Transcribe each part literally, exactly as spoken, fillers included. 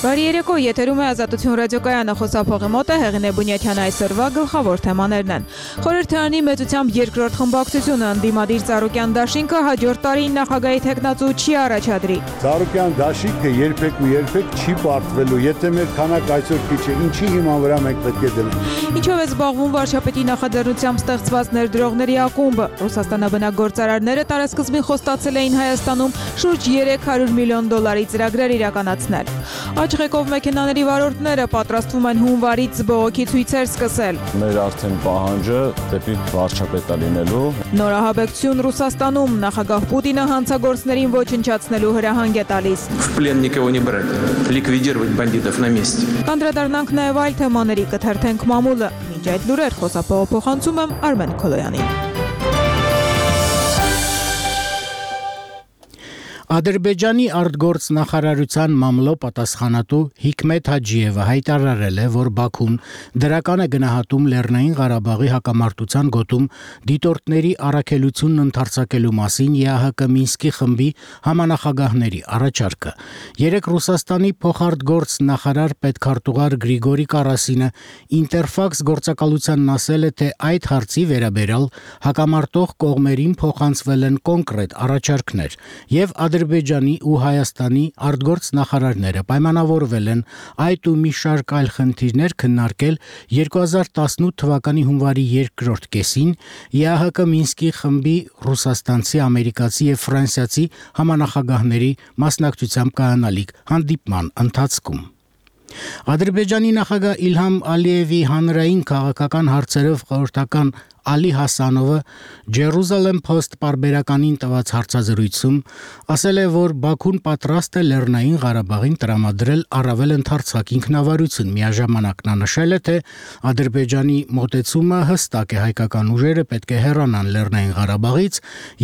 Բարի երեկո, եթերում է Ազատություն ռադիոկայանը, խոսափողի մոտ է Հեղինե Բունյաթյանը, այսօրվա գլխավոր թեմաներն են։ Խորհրդարանի մեծությամբ երկրորդ խմբակցությունը ընդդիմադիր Ծառուկյան դաշինքը հաջորդ տարին նախագահի թեկնածու չի առաջադրի։ Ծառուկյան դաշինքը երբեք ու երբեք չի պարտվելու, եթե մեր քանակ այսօր քիչ է, ինչի հիման վրա մենք պետք է դնենք։ Ինչով է զբաղվում վարչապետի նախաձեռնությամբ ստեղծված ներդրողների ակումբը։ Ռուսաստանաբնակ գործարարները տարեսկզբին խոստացել էին Հայաստանում շուրջ երեք հարյուր միլիոն դոլարի ծրագրեր իրականացնել։ Աչղեկով մեքենաների վարորդները պատրաստվում են հունվարից բողոքի ցույցեր սկսել։ Մեր արդեն պահանջը դեպի վարչապետը լինելու։ Նորահաբեկցություն Ռուսաստանում, նախագահ Պուտինը հանցագործներին ոչնչացնելու հրահանգ է տալիս։ В плен никого не брать, ликвидировать бандитов на месте։ Կանդրադառնանք նաև այլ թեմաների, կթերթենք մամուլը։ Մինչ այդ լուրեր խոսափողը փոխանցում եմ Արմեն Քոլոյանին։ Ադրբեջանի արտգործնախարարության մամլո պատասխանատու Հիկմետ Հաջիևը հայտարարել է, որ Բաքուն դրական է գնահատում Լեռնային Ղարաբաղի հակամարտության գոտում դիտորդների առաքելությունն ընդարձակելու մասին ԵԱՀԿ Մինսկի խմբի համանախագահների առաջարկը։ Երեկ Ռուսաստանի փոխարտգործնախարար պետքարտուղար Գրիգորի Կարասինը Ինտերֆաքս գործակալությանն ասել է, թե այդ հարցի վերաբերյալ հակամարտող կողմերին փոխանցվել են կոնկրետ առաջարկներ եւ Ադրբեջանի ու Հայաստանի արտգործնախարարները պայմանավորվել են այդ ու մի շարք այլ խնդիրներ քննարկել երկու հազար տասնութ թվականի հունվարի երկրորդ կեսին ԵԱՀԿ Մինսկի խմբի ռուսաստանցի, ամերիկացի եւ ֆրանսիացի համանախագահների մասնակցությամբ կայանալիք հանդիպման ընթացքում։ Ադրբեջանի նախագահ Իլհամ Ալիևի հանրային քաղաքական հարցերով խորհրդական Ալի Հասանովը Jerusalem Post պարբերականին տված հարցազրույցում ասել է, որ Բաքուն պատրաստ է Լեռնային Ղարաբաղին տրամադրել առավել ընդարձակ ինքնավարություն։ Միաժամանակ նա նշել է, թե Ադրբեջանի մոտեցումը հստակ է, հայկական ուժերը պետք է հեռանան Լեռնային Ղարաբաղից,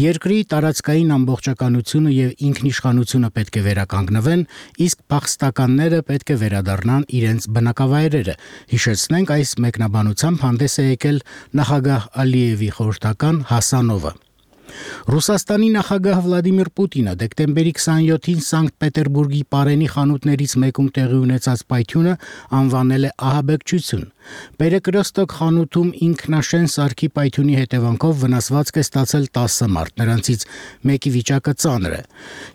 երկրի տարածքային ամբողջականությունը եւ ինքնիշխանությունը պետք է վերականգնվեն, իսկ փախստականները պետք է վերադառնան իրենց բնակավայրերը։ Հիշեցնենք, այս մեկնաբանությամբ հանդես է եկել նախագահ Ալիևի խորհրդական Հասանովը։ Ռուսաստանի նախագահ Վլադիմիր Պուտինը դեկտեմբերի քսանյոթին Սանկտ Պետերբուրգի Պարենի խանութներից մեկում տեղի ունեցած պայթյունը անվանել է ահաբեկչություն։ Պերեկրոստոկ խանութում ինքնաշեն սարքի պայթյունի հետևանքով վնասվածք է ստացել տասը մարդ, նրանցից մեկի վիճակը ծանր է։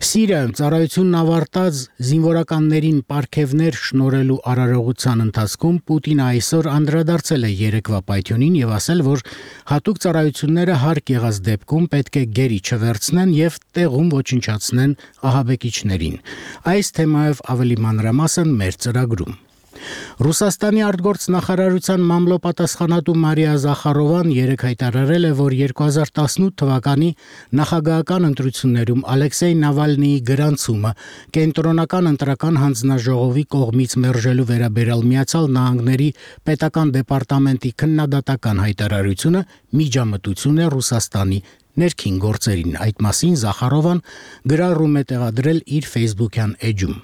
Սիրիայում ծառայությունն ավարտած զինվորականներին պարգևներ շնորհելու արարողության ընթացքում Պուտինը այսօր անդրադարձել է երեկվա պայթյունին եւ ասել, որ հատուկ ծառայությունները հարկ եղած դեպքում պետք է գերի չվերցնեն եւ տեղում ոչնչացնեն ահաբեկիչներին։ Այս թեմայով ավելի մանրամասն մեր ծրագրում։ Ռուսաստանի արտգործնախարարության մամլո պատասխանատու Մարիա Զախարովան երեկ հայտարարել է, որ երկու հազար տասնութ թվականի նախագահական ընտրություններում Ալեքսեյ Նավալնիի գրանցումը կենտրոնական ընտրական հանձնաժողովի կողմից մերժելու վերաբերյալ Միացյալ Նահանգների պետական դեպարտամենտի քննադատական հայտարարությունը միջամտություն է Ռուսաստանի ներքին գործերին։ Այդ մասին Զախարովան գրառում է տեղադրել իր Facebook-յան էջում։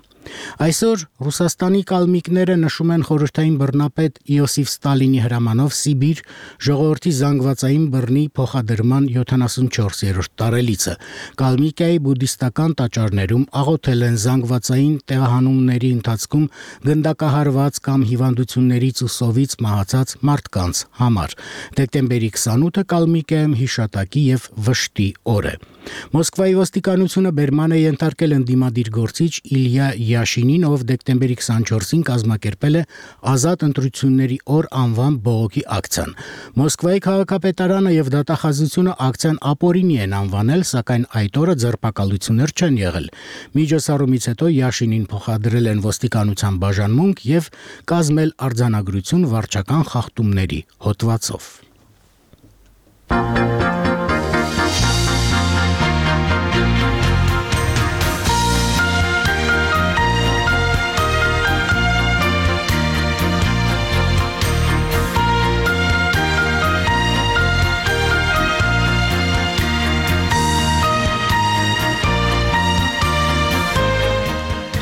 Այսօր Ռուսաստանի կալմիկները նշում են խորհրդային բռնապետ Իոսիֆ Ստալինի հրամանով Սիբիր ժողովրդի զանգվածային բռնի փոխադրման յոթանասունչորսերորդ տարելիցը։ Կալմիկիայի բուդդիստական տաճարներում աղոթել են զանգվածային տեղահանումների ընթացքում գնդակահարված կամ հիվանդություններից ու սովից մահացած մարդկանց համար։ Դեկտեմբերի քսանութը Կալմիկիայում հիշատակի եւ վշտի օր է։ Մոսկվայի ոստիկանությունը բերման է ենթարկել ընդդիմադիր գործիչ Իլյա Յաշինին, ով դեկտեմբերի քսանչորսին կազմակերպել է ազատ ընտրությունների օր անվան բողոքի ակցիան։ Մոսկվայի քաղաքապետարանը եւ դատախազությունը ակցիան ապօրինի են անվանել, սակայն այդ օրը ձերբակալություններ չեն եղել։ Միջոցառումից հետո Յաշինին փոխադրել են ոստիկանության բաժանմունք եւ կազմել արձանագրություն վարչական խախտումների հոդվածով։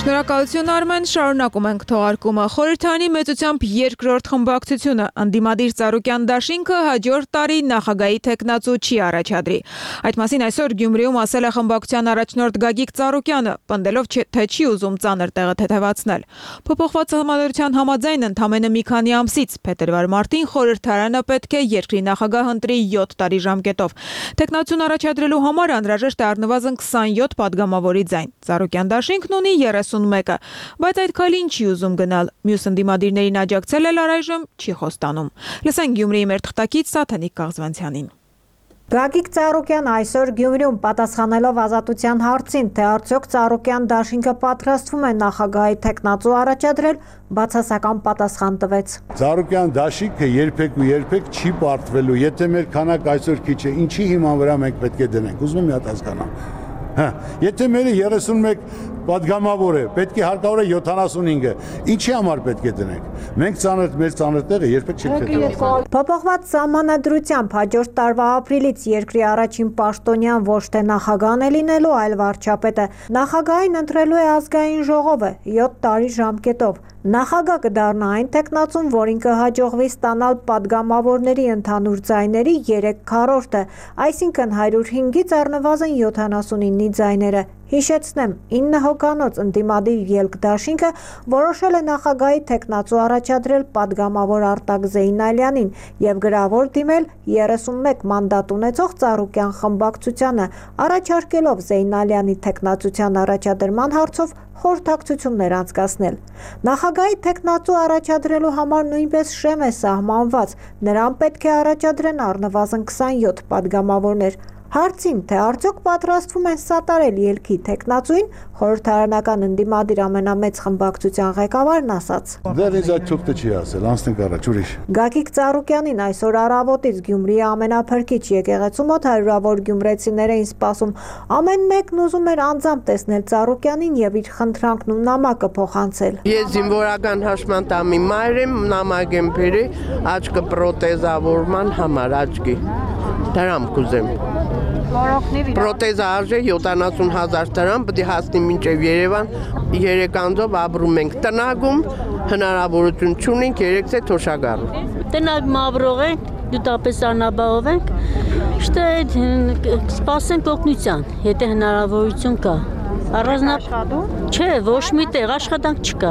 Շնորհակալություն Արմեն, շարունակում ենք թողարկումը։ Խորհրդարանի մեծությամբ երկրորդ խմբակցությունը ընդդիմադիր Ծառուկյան դաշինքը հաջորդ տարի նախագահի թեկնածու չի առաջադրի։ Այդ մասին այսօր Գյումրիում ասել է խմբակցության առաջնորդ Գագիկ Ծառուկյանը, պնդելով, թե չի ուզում ծանր տեղը թեթևացնել։ Փոփոխված համադրության համաձայն ընդամենը մի քանի ամսից փետրվար-մարտին խորհրդարանը պետք է երկրի նախագահ ընտրի յոթ տարի ժամկետով։ Թեկնածուն առաջադրելու համար անհրաժեշտ է առնվազն քսանյոթ падգամավորի ձայն։ Ծառուկյան դաշինքն ունի երեսունմեկը, բայց այդ քայլին չի ուզում գնալ։ Մյուս ընդդիմադիրներին աջակցել էլ առայժմ չի խոստանում։ Լսենք Գյումրիի մեր թղթակից Սաթենիկ Կաղզվանցյանին։ Գագիկ Ծառուկյան այսօր Գյումրիում պատասխանելով Ազատության հարցին, թե արդյոք Ծառուկյան դաշինքը պատրաստվում է նախագահի թեկնածու առաջադրել, բացասական պատասխան տվեց։ Ծառուկյան դաշինքը երբեք ու երբեք չի պարտվելու, եթե մեր քանակ այսօր քիչ է, ինչի հիման վրա մենք պետք է դնենք։ Ուզում եմ մի հատ հասկանամ։ Հա, եթե մերը երեսունմեկ падգամավոր է, պետք է հարկավոր է յոթանասունհինգը, ինչի համար պետք է դնենք։ Մենք ծանր մեր ծանր տեղը երբեք չենք թեթևացնի։ Փոփոխված սահմանադրությամբ հաջորդ տարվա ապրիլից երկրի առաջին պաշտոնյան ոչ թե նախագահն է լինելու, այլ վարչապետը։ Նախագահին ընտրելու է ազգային ժողովը յոթ տարի ժամկետով։ Նախագահ կդառնա այն տեխնացուն, որին կհաջողվի ստանալ падգամավորների ընդհանուր ձայների երեք քառորդը, այսինքն հարյուր հինգից առնվազն յոթանասունինի ձայները։ Հիշեցնեմ, ինը հոգանոց ընդդիմադիր ելք դաշինքը որոշել է նախագահի թեկնածու առաջադրել падգամավոր Արտակ Զեյնալյանին եւ գրավոր դիմել երեսունմեկ մանդատ ունեցող Ծառուկյան խմբակցությանը, առաջարկելով Զեյնալյանի թեկնածության առաջադրման հարցով խորհրդակցություններ անցկացնել։ Նախագահի թեկնածու առաջադրելու համար նույնպես շեմ է սահմանված, նրան պետք է առաջադրեն առնվազն քսանյոթ падգամավորներ։ Հարցին, թե արդյոք պատրաստվում են սատարել ելքի թեկնածուին, խորհրդարանական ընդդիմադիր ամենամեծ խմբակցության ղեկավարն ասաց. Դեռ ինձ այդ թուղթը չի ասել, անցնենք առաջ, ուրիշ։ Գագիկ Ծառուկյանին այսօր առավոտից Գյումրիի ամենափրկիչ եկեղեցու մոտ հարյուրավոր գյումրեցիներ էին սպասում։ Ամեն մեկն ուզում էր անձամբ տեսնել Ծառուկյանին եւ իր խնդրանքն ու նամակը փոխանցել։ Ես զինվորական հաշմանդամի մայր եմ, նամակ եմ բերել աչքը պրոթեզավորման համար աչքի։ Դրամ կուզեմ։ Պրոթեզը արժե յոթանասուն հազար դրամ, պետք է հասնի մինչև Երևան, երեք անձով ապրում ենք տնագում, հնարավորություն չունենք երեքսե թոշակառու։ Տնագում ապրող ենք, դուտապես անաբաղով ենք, շտե սպասենք օգնության, եթե հնարավորություն կա։ Առանձնապես չէ, ոչ մի տեղ աշխատանք չկա։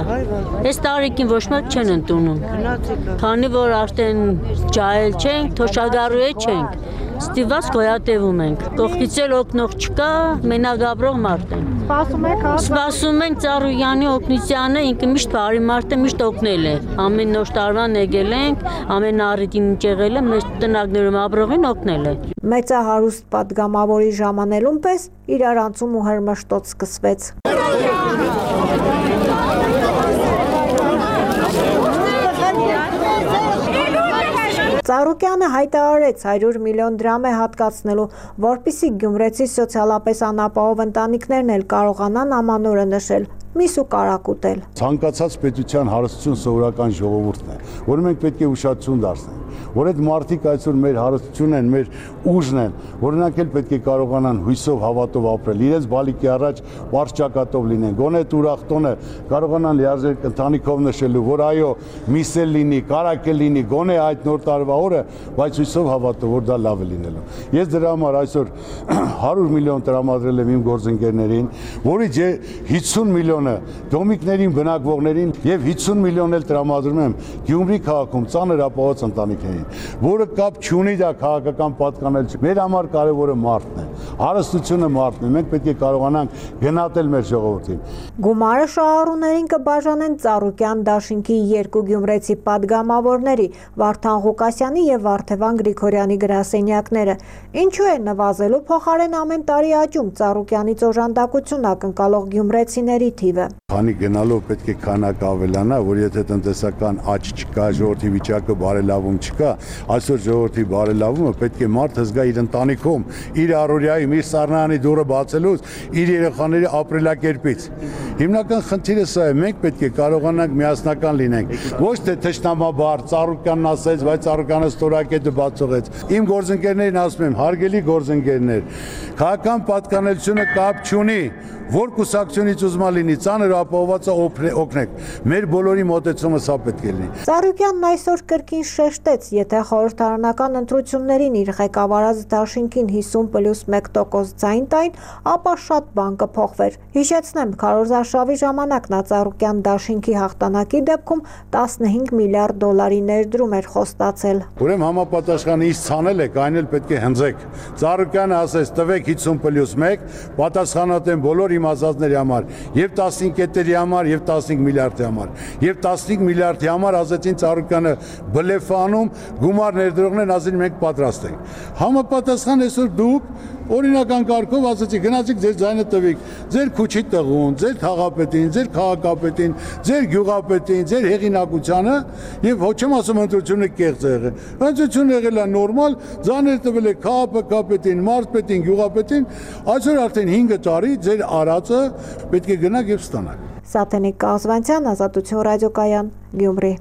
Այս տարիքին ոչ մեկ չեն ընդունում։ Քանի որ արդեն ջահել չենք, թոշակառու չենք, ստիված գոյատևում ենք։ Կողքից էլ օգնող չկա, մենակ ապրող մարդ ենք։ Սպասում եք, Սպասում ենք Ծառուկյանի օգնությանը, ինքը միշտ բարի մարդ է, միշտ օգնել է։ Ամեն նոր տարվան եկել ենք, ամեն առիթին եղել է, մեր տնագներում ապրողին օգնել է։ Մեծահարուստ падգամավորի ժամանելուն պես իրարանցում ու հրմշտոց սկսվեց։ Ծառուկյանը հայտարարեց հարյուր միլիոն դրամ է հատկացնելու, որպեսզի գյումրեցի սոցիալապես անապահով ընտանիքներն էլ կարողանան ամանորը նշել, միս ու կարակուտել։ Ցանկացած պետության հարստություն սովորական ժողովուրդն է, որը մենք պետք է ուշադրություն դարձնենք, որ այդ մարդիկ այսօր մեր հարստությունն են, մեր ուժն են, որոնք էլ պետք է կարողանան հույսով, հավատով ապրել, իրենց բալիկի առաջ վարչակատով լինեն, գոնե ուրախ տոնը կարողանան լիարժեք ընտանիքով նշելու, որ այո, միս էլ լինի, կարակ էլ լինի, գոնե այդ նոր տարվա օրը, բայց հույսով հավատով, որ դա լավ է լինելու։ Ես դրա համար այսօր հարյուր միլիոն տրամադրել եմ իմ գործընկերներին, որից հիսուն միլիոնը դոմիկներին, բնակվողներին եւ հիսուն միլիոն էլ տրամադրում եմ Գյումրի քաղաքում ծանր ապահով ընտանիքներին, որը կապ չունի դա քաղաքական պատկանել չի։ Մեր համար կարևորը մարդն է, հարստությունը մարդն է, մենք պետք է կարողանանք գնահատել մեր ժողովրդին։ Գումարը շահառուներին կբաժանեն Ծառուկյան դաշինքի երկու գյումրեցի падգամավորների՝ Վարդան Ղուկասյանի եւ Վարդևան Գրիգորյանի գրասենյակները։ Ինչու է նվազելու փոխարեն ամեն տարի աճում Ծառուկյանից օժանդակություն ակնկալող գյումրեցիների թիվը։ Քանի գնալով պետք է քանակ ավելանա, որ եթե տնտեսական աճ չկա, ժողովրդի վիճակը բարելավում չկա, այսօր ժողովրդի բարելավումը պետք է մարդը զգա իր ընտանիքում, իր առօրյայի նայում իր սառնարանի դուռը բացելուց իր երեխաների ապրելակերպից։ Հիմնական խնդիրը սա է, մենք պետք է կարողանանք միասնական լինենք։ Ոչ թե թշնամաբար, Ծառուկյանն ասեց, բայց Ծառուկյանը ստորակետը բացողեց։ Իմ գործընկերներին ասում եմ, հարգելի գործընկերներ, քաղաքական պատկանելությունը կապ չունի, որ կուսակցությունից ուզմա լինի, ծանր ապահովվածը օգնեք։ Մեր բոլորի մոտեցումը սա պետք է լինի։ Ծառուկյանն այսօր կրկին շեշտեց, եթե խորհրդարանական ընտրություններին իր ղեկավարած դաշինքին հիսուն պլյուս մեկ տոկոս ձայն տային, ապա շատ բան կփոխվեր։ Հիշեցնեմ, քարոզարշավի ժամանակ նա Ծառուկյան դաշինքի հաղթանակի դեպքում տասնհինգ միլիարդ դոլարի ներդրում էր խոստացել։ Ուրեմն համապատասխանը ինչ ցանել եք, այն էլ պետք է հնձեք։ Ծառուկյանը ասեց, տվեք հիսուն պլյուս մեկ, պատասխանատու են բոլոր իմ ասածների համար, եւ տասնհինգ կետերի համար, եւ տասնհինգ միլիարդի համար, եւ տասնհինգ միլիարդի համար ասեցին Ծառուկյանը բլեֆանում, գումար ներդրողներն ասին մենք պատրաստ ենք։ Համապատասխան այսօր դուք օրինական կարգով ասեցիք գնացիք ձեր ձայնը տվեք, ձեր քուչի տղուն, ձեր թաղապետին, ձեր քաղաքապետին, ձեր գյուղապետին, ձեր հեղինակությանը եւ ոչ եմ ասում ընտրությունը կեղծ է եղել։ Ընտրությունը եղել է նորմալ, ձայներ տվել եք քաղաքապետին, մարզպետին, գյուղապետին, այսօր արդեն հինգ տարի ձեր արածը պետք է գնաք եւ ստանաք։ Սաթենիկ Կազվանցյան, Ազատություն ռադիոկայան, Գյումրի։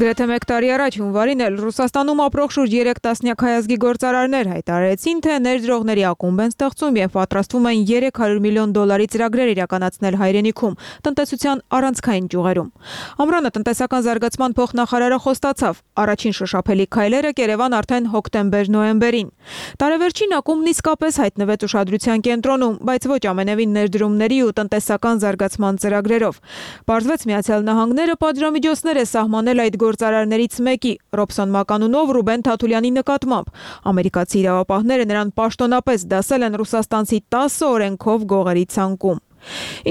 Գրեթե մեկ տարի առաջ հունվարին էլ Ռուսաստանում ապրող շուրջ երեք տասնյակ հայազգի գործարարներ հայտարարեցին, թե ներդրողների ակումբ են ստեղծում եւ պատրաստվում են երեք հարյուր միլիոն դոլարի ծրագրեր իրականացնել հայրենիքում, տնտեսության առանցքային ճյուղերում։ Ամռանը տնտեսական զարգացման փոխնախարարը խոստացավ, առաջին շոշափելի քայլերը կերևան արդեն հոկտեմբեր-նոյեմբերին։ Տարեվերջին ակումբն իսկապես հայտնվեց ուշադրության կենտրոնում, բայց ոչ ամենևին ներդրումների ու տնտեսական զարգացման ծրագրերով։ Պարզվեց Միացյալ Նահանգները պատժամիջոցներ է սահմանել այդ գործարարներից մեկի, Ռոբսոն Մականունով Ռուբեն Թաթուլյանի նկատմամբ։ Ամերիկացի իրավապահները նրան պաշտոնապես դասել են ռուսաստանցի տասը օրենքով գողերի ցանկում։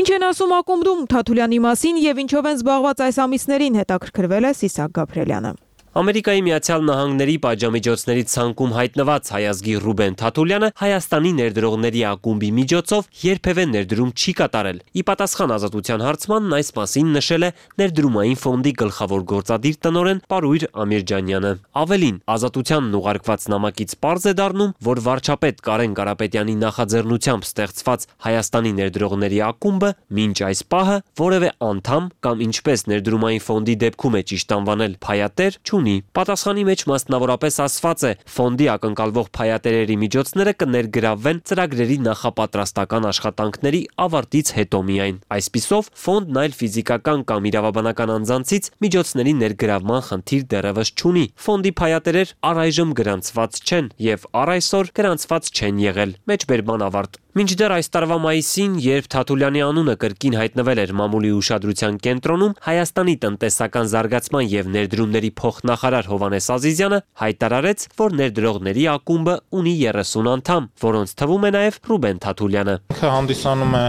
Ինչ են ասում ակումբում Թաթուլյանի մասին եւ ինչով են զբաղված այս ամիսներին, հետաքրքրվել է Սիսակ Գաբրելյանը։ Ամերիկայի Միացյալ Նահանգների պատժամիջոցների ցանկում հայտնված հայազգի Ռուբեն Թաթուլյանը Հայաստանի ներդրողների ակումբի միջոցով երբևէ ներդրում չի կատարել։ Ի պատասխան Ազատության հարցմանն այս մասին նշել է ներդրումային ֆոնդի գլխավոր գործադիր տնօրեն Պարույր Ամիրջանյանը։ Ավելին, Ազատությանն ուղարկված նամակից պարզ է դառնում, որ վարչապետ Կարեն Կարապետյանի նախաձեռնությամբ ստեղծված Հայաստանի ներդրողների ակումբը մինչ այս պահը որևէ անդամ կամ ինչպես ներդրումային ֆոնդի դեպքում է ճիշտ անվանել փայատեր Պատասխանի մեջ մասնավորապես ասված է, ֆոնդի ակնկալվող փայատերերի միջոցները կներգրավվեն ծրագրերի նախապատրաստական աշխատանքների ավարտից հետո միայն։ Այսպիսով, ֆոնդն այլ ֆիզիկական կամ իրավաբանական անձանցից միջոցների ներգրավման խնդիր դեռևս չունի։ Ֆոնդի փայատերեր առայժմ գրանցված չեն եւ առ այսօր գրանցված չեն եղել։ Մեջբերման ավարտ։ Մինչդեռ այս տարվա մայիսին, երբ Թաթուլյանի անունը կրկին հայտնվել էր մամուլի ուշադրության կենտրոնում, Հայաստանի տնտեսական զարգացման եւ ներդրումների փոխնախարար Հովհաննես Ազիզյանը հայտարարեց, որ ներդրողների ակումբը ունի երեսուն անդամ, որոնց թվում է նաեւ Ռուբեն Թաթուլյանը։ Ինքը հանդիսանում է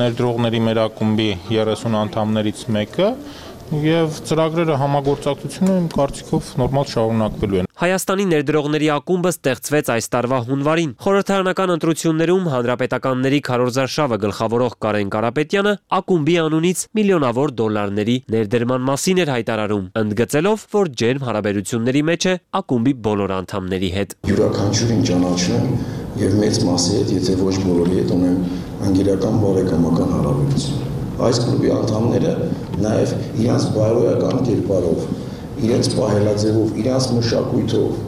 ներդրողների մեր ակումբի երեսուն անդամներից մեկը եւ ծրագրերը համագործակցությունը իմ կարծիքով նորմալ շարունակվելու են։ Հայաստանի ներդրողների ակումբը ստեղծվեց այս տարվա հունվարին։ Խորհրդարանական ընտրություններում հանրապետականների քարոզարշավը գլխավորող Կարեն Կարապետյանը ակումբի անունից միլիոնավոր դոլարների ներդրման մասին էր հայտարարում, ընդգծելով, որ ջերմ հարաբերությունների մեջ է ակումբի բոլոր անդամների հետ։ Յուրաքանչյուրին ճանաչում եւ մեծ մասի հետ, եթե ոչ բոլորի հետ ունեմ անգերական բարեկամական հարաբերություն։ Այս կլուբի անդամները նաև իրենց բարոյական կերպարով, իրենց պահելաձևով, իրենց մշակույթով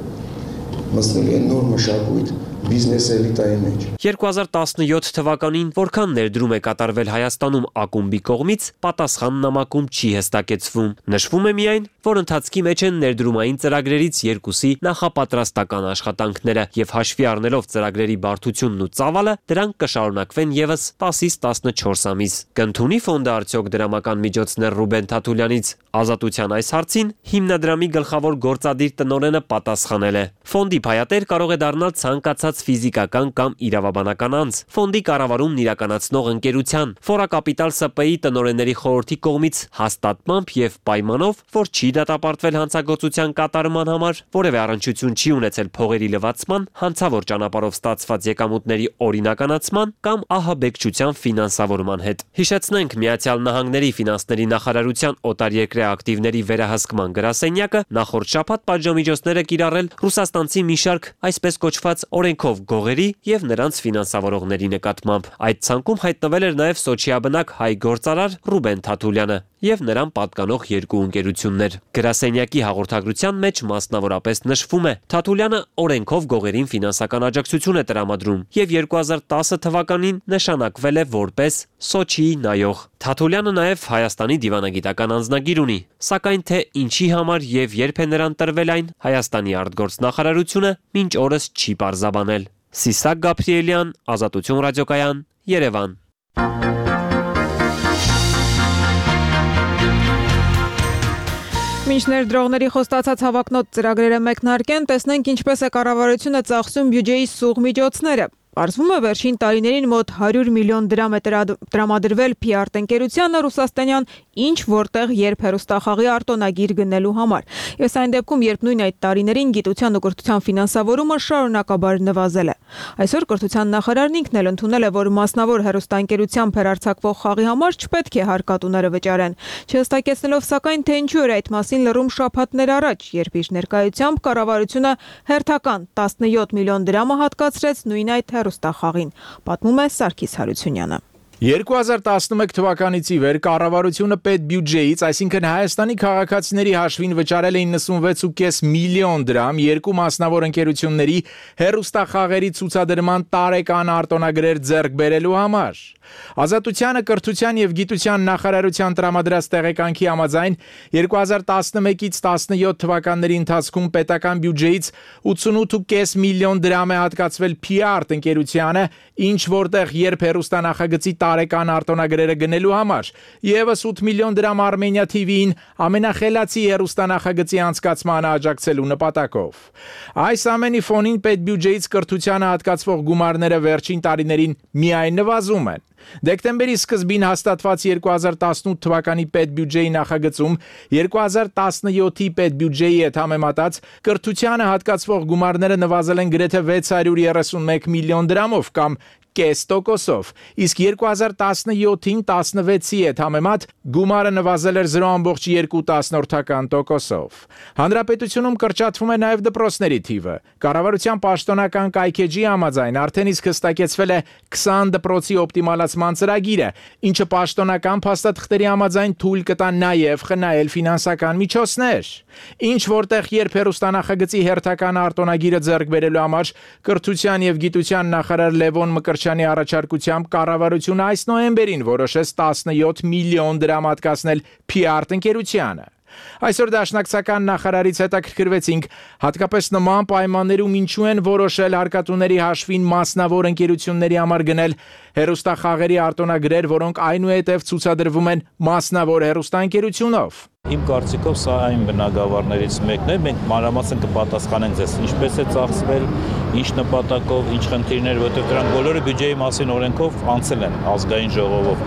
մտցնել են նոր մշակույթ բիզնես էլիտայի մեջ։ երկու հազար տասնյոթ թվականին որքան ներդրում է կատարվել Հայաստանում ակումբի կողմից, պատասխան նամակում չի հստակեցվում։ Նշվում է միայն, որ ընթացքի մեջ են ներդրումային ծրագրերից երկուսի նախապատրաստական աշխատանքները եւ հաշվի առնելով ծրագրերի բարդությունն ու ծավալը, դրանք կշարունակվեն եւս տասից տասնչորս ամիս։ Կընդունի ֆոնդը արդյոք դրամական միջոցներ Ռուբեն Թաթուլյանից։ Ազատության այս հարցին հիմնադրամի գլխավոր գործադիր տնօրենը պատասխանել է. Ֆոնդի փայատեր կարող է դառնալ ցանկացած կազմված ֆիզիկական կամ իրավաբանական անձ, ֆոնդի կառավարումն իրականացնող ընկերության, Ֆորակապիտալ ՍՊ-ի տնօրենների խորհրդի կողմից հաստատմամբ եւ պայմանով, որ չի դատապարտվել հանցագործության կատարման համար, որևէ առնչություն չի ունեցել փողերի լվացման, հանցավոր ճանապարհով ստացված եկամուտների օրինականացման կամ ահաբեկչության ֆինանսավորման հետ։ Հիշեցնենք, Միացյալ Նահանգների ֆինանսների նախարարության օտարերկրյա ակտիվների վերահսկման գրասենյակը նախորդ շաբաթ պատժամիջոցներ է կիրառել ռուսաստանցի մի շարք այսպես կոչված օրենքով գողերի եւ նրանց ֆինանսավորողների նկատմամբ։ Այդ ցանկում հայտնվել էր նաեւ Սոչիաբնակ հայ գործարար Ռուբեն Թաթուլյանը եւ նրան պատկանող երկու ընկերություններ։ Գրասենյակի հաղորդագրության մեջ մասնավորապես նշվում է. Թաթուլյանը օրենքով գողերին ֆինանսական աջակցություն է տրամադրում եւ երկու հազար տասը թվականին նշանակվել է որպես Սոչիի նայող։ Թաթուլյանը նաեւ Հայաստանի դիվանագիտական անձնագիր ունի, սակայն թե ինչի համար եւ երբ է նրան տրվել այն, Հայաստանի արտգործնախարարությունը մինչ օրս չի պարզաբանել։ Սիսակ Գաբրիելյան, Ազատություն ռադիոկայան, Երևան։ Մինչ ներդրողների խոստացած հավակնոտ ծրագրերը մեկնարկեն, տեսնենք ինչպես է կառավարությունը ծախսում բյուջեի սուղ միջոցները։ Պարզվում է, վերջին տարիներին մոտ հարյուր միլիոն դրամ է տրամադրվել Փիարտ ընկերությանը ռուսաստանյան ինչ որտեղ երբ հեռուստախաղի արտոնագիր գնելու համար։ Ես այն դեպքում, երբ նույն այդ տարիներին գիտության ու կրթության ֆինանսավորումը շարունակաբար նվազել է։ Այսօր կրթության նախարարն ինքն էլ ընդունել է, որ մասնավոր հեռուստաընկերությամբ հեռարձակվող խաղի համար չպետք է հարկատուները վճարեն։ Չհստակեցնելով սակայն, թե ինչու էր այդ մասին լռում շաբաթներ առաջ, երբ իր ներկայությամբ կառավարությունը հերթական տասնյոթ միլիոն դրամը հատկացրեց նույն այդ հեռուստախաղին, պատմում է Սարգիս Հարությունյանը։ երկու հազար տասնմեկ թվականից ի վեր կառավարությունը պետբյուջեից, այսինքն Հայաստանի քաղաքացիների հաշվին վճարել է իննսունվեց փոխ պենս միլիոն դրամ երկու մասնավոր ընկերությունների հեռուստախաղերի ցուցադրման տարեկան արտոնագրեր ձեռք բերելու համար։ Ազատությանը կրթության եւ գիտության նախարարության տրամադրած տեղեկանքի համաձայն երկու հազար տասնմեկից տասնյոթ թվականների ընթացքում պետական բյուջեից ութսունութ փոխ պենս միլիոն դրամ է հատկացվել Փիարտ ընկերությանը, ինչ որտեղ երբ հեռուստանախագծի տարեկան արտոնագրերը գնելու համար, եւս ութ միլիոն դրամ Armenia T V-ին ամենախելացի հեռուստանախագծի անցկացմանը աջակցելու նպատակով։ Այս ամենի ֆոնին պետբյուջեից կրթությանը հատկացվող գումարները վերջին տարիներին միայն նվազում են։ Դեկտեմբերի սկզբին հաստատված երկու հազար տասնութ թվականի պետբյուջեի նախագծում երկու հազար տասնյոթի պետբյուջեի հետ համեմատած կրթությանը հատկացվող գումարները նվազել են գրեթե վեց հարյուր երեսունմեկ միլիոն դրամով կամ կես տոկոսով, իսկ երկու հազար տասնյոթին տասնվեցի հետ համեմատ գումարը նվազել էր զրո բացի երկու տոկոսով։ Հանրապետությունում կրճատվում է նաև դպրոցների թիվը։ Կառավարության պաշտոնական կայքեջի համաձայն արդեն իսկ հստակեցվել է քսան դպրոցի օպտիմալացման ծրագիրը, ինչը պաշտոնական փաստաթղթերի համաձայն թույլ կտա նաև խնայել ֆինանսական միջոցներ։ Ինչ որտեղ երբ հեռուստանախագծի հերթական արտոնագիրը ձեռք բերելու համար կրթության եւ գիտության նախարար Լևոն Մկրտչյանի առաջարկությամբ կառավարությունը այս նոյեմբերին որոշեց տասնյոթ միլիոն դրամ հատկացնել Փիարտ ընկերությանը։ Այսօր դաշնակցական նախարարից հետաքրքրվեցինք հատկապես նման պայմաններում ինչու են որոշել հարկատուների հաշվին մասնավոր ընկերությունների համար գնել հեռուստախաղերի արտոնագրեր, որոնք այնուհետև ցուցադրվում են մասնավոր հեռուստաընկերությունով։ Իմ կարծիքով սա այն բնագավառներից մեկն է, մենք մանրամասն կպատասխանենք ձեզ ինչպես է ծախսվել, ինչ նպատակով, ինչ խնդիրներ, որտեղ դրանք բոլորը բյուջեի մասին օրենքով անցել են ազգային ժողովով։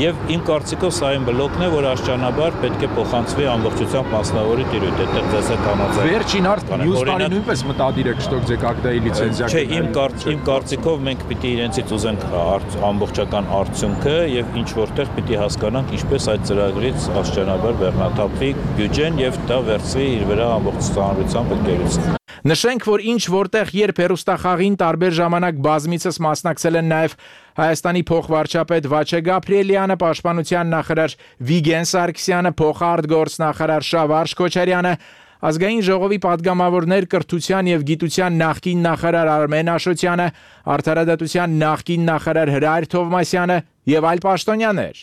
Եվ իմ կարծիքով սա այն բլոկն է, որ աշճանաբար պետք է փոխանցվի ամբողջությամբ մասնավորի տիրույթ, այդտեղ ձեզ հետ համաձայն։ Վերջին արդեն մյուս տարի նույնպես մտադիր եք շտոք ձեկ ակտայի լիցենզիա։ Չէ, իմ իմ կարծիքով մենք պիտի իրենցից ուզենք ամբողջական արդյունքը եւ ինչ որտեղ պիտի հասկանանք ինչպես այդ ծրագրից աշճանաբար բեռնաթափվի բյուջեն եւ դա վերցվի իր վրա ամբողջ ծանրությամբ ընկերություն։ Նշենք, որ ինչ որտեղ երբ հեռուստախաղին տարբեր ժամանակ բազմիցս մասնակցել են նաև Հայաստանի փոխվարչապետ Վաչե Գաբրիելյանը, պաշտպանության նախարար Վիգեն Սարգսյանը, փոխարտգործնախարար Շավարժ Քոչարյանը, ազգային ժողովի падգամավորներ կրթության եւ գիտության նախկին նախարար Արմեն Աշոտյանը, արդարադատության նախկին նախարար Հրայր Թովմասյանը եւ այլ պաշտոնյաներ։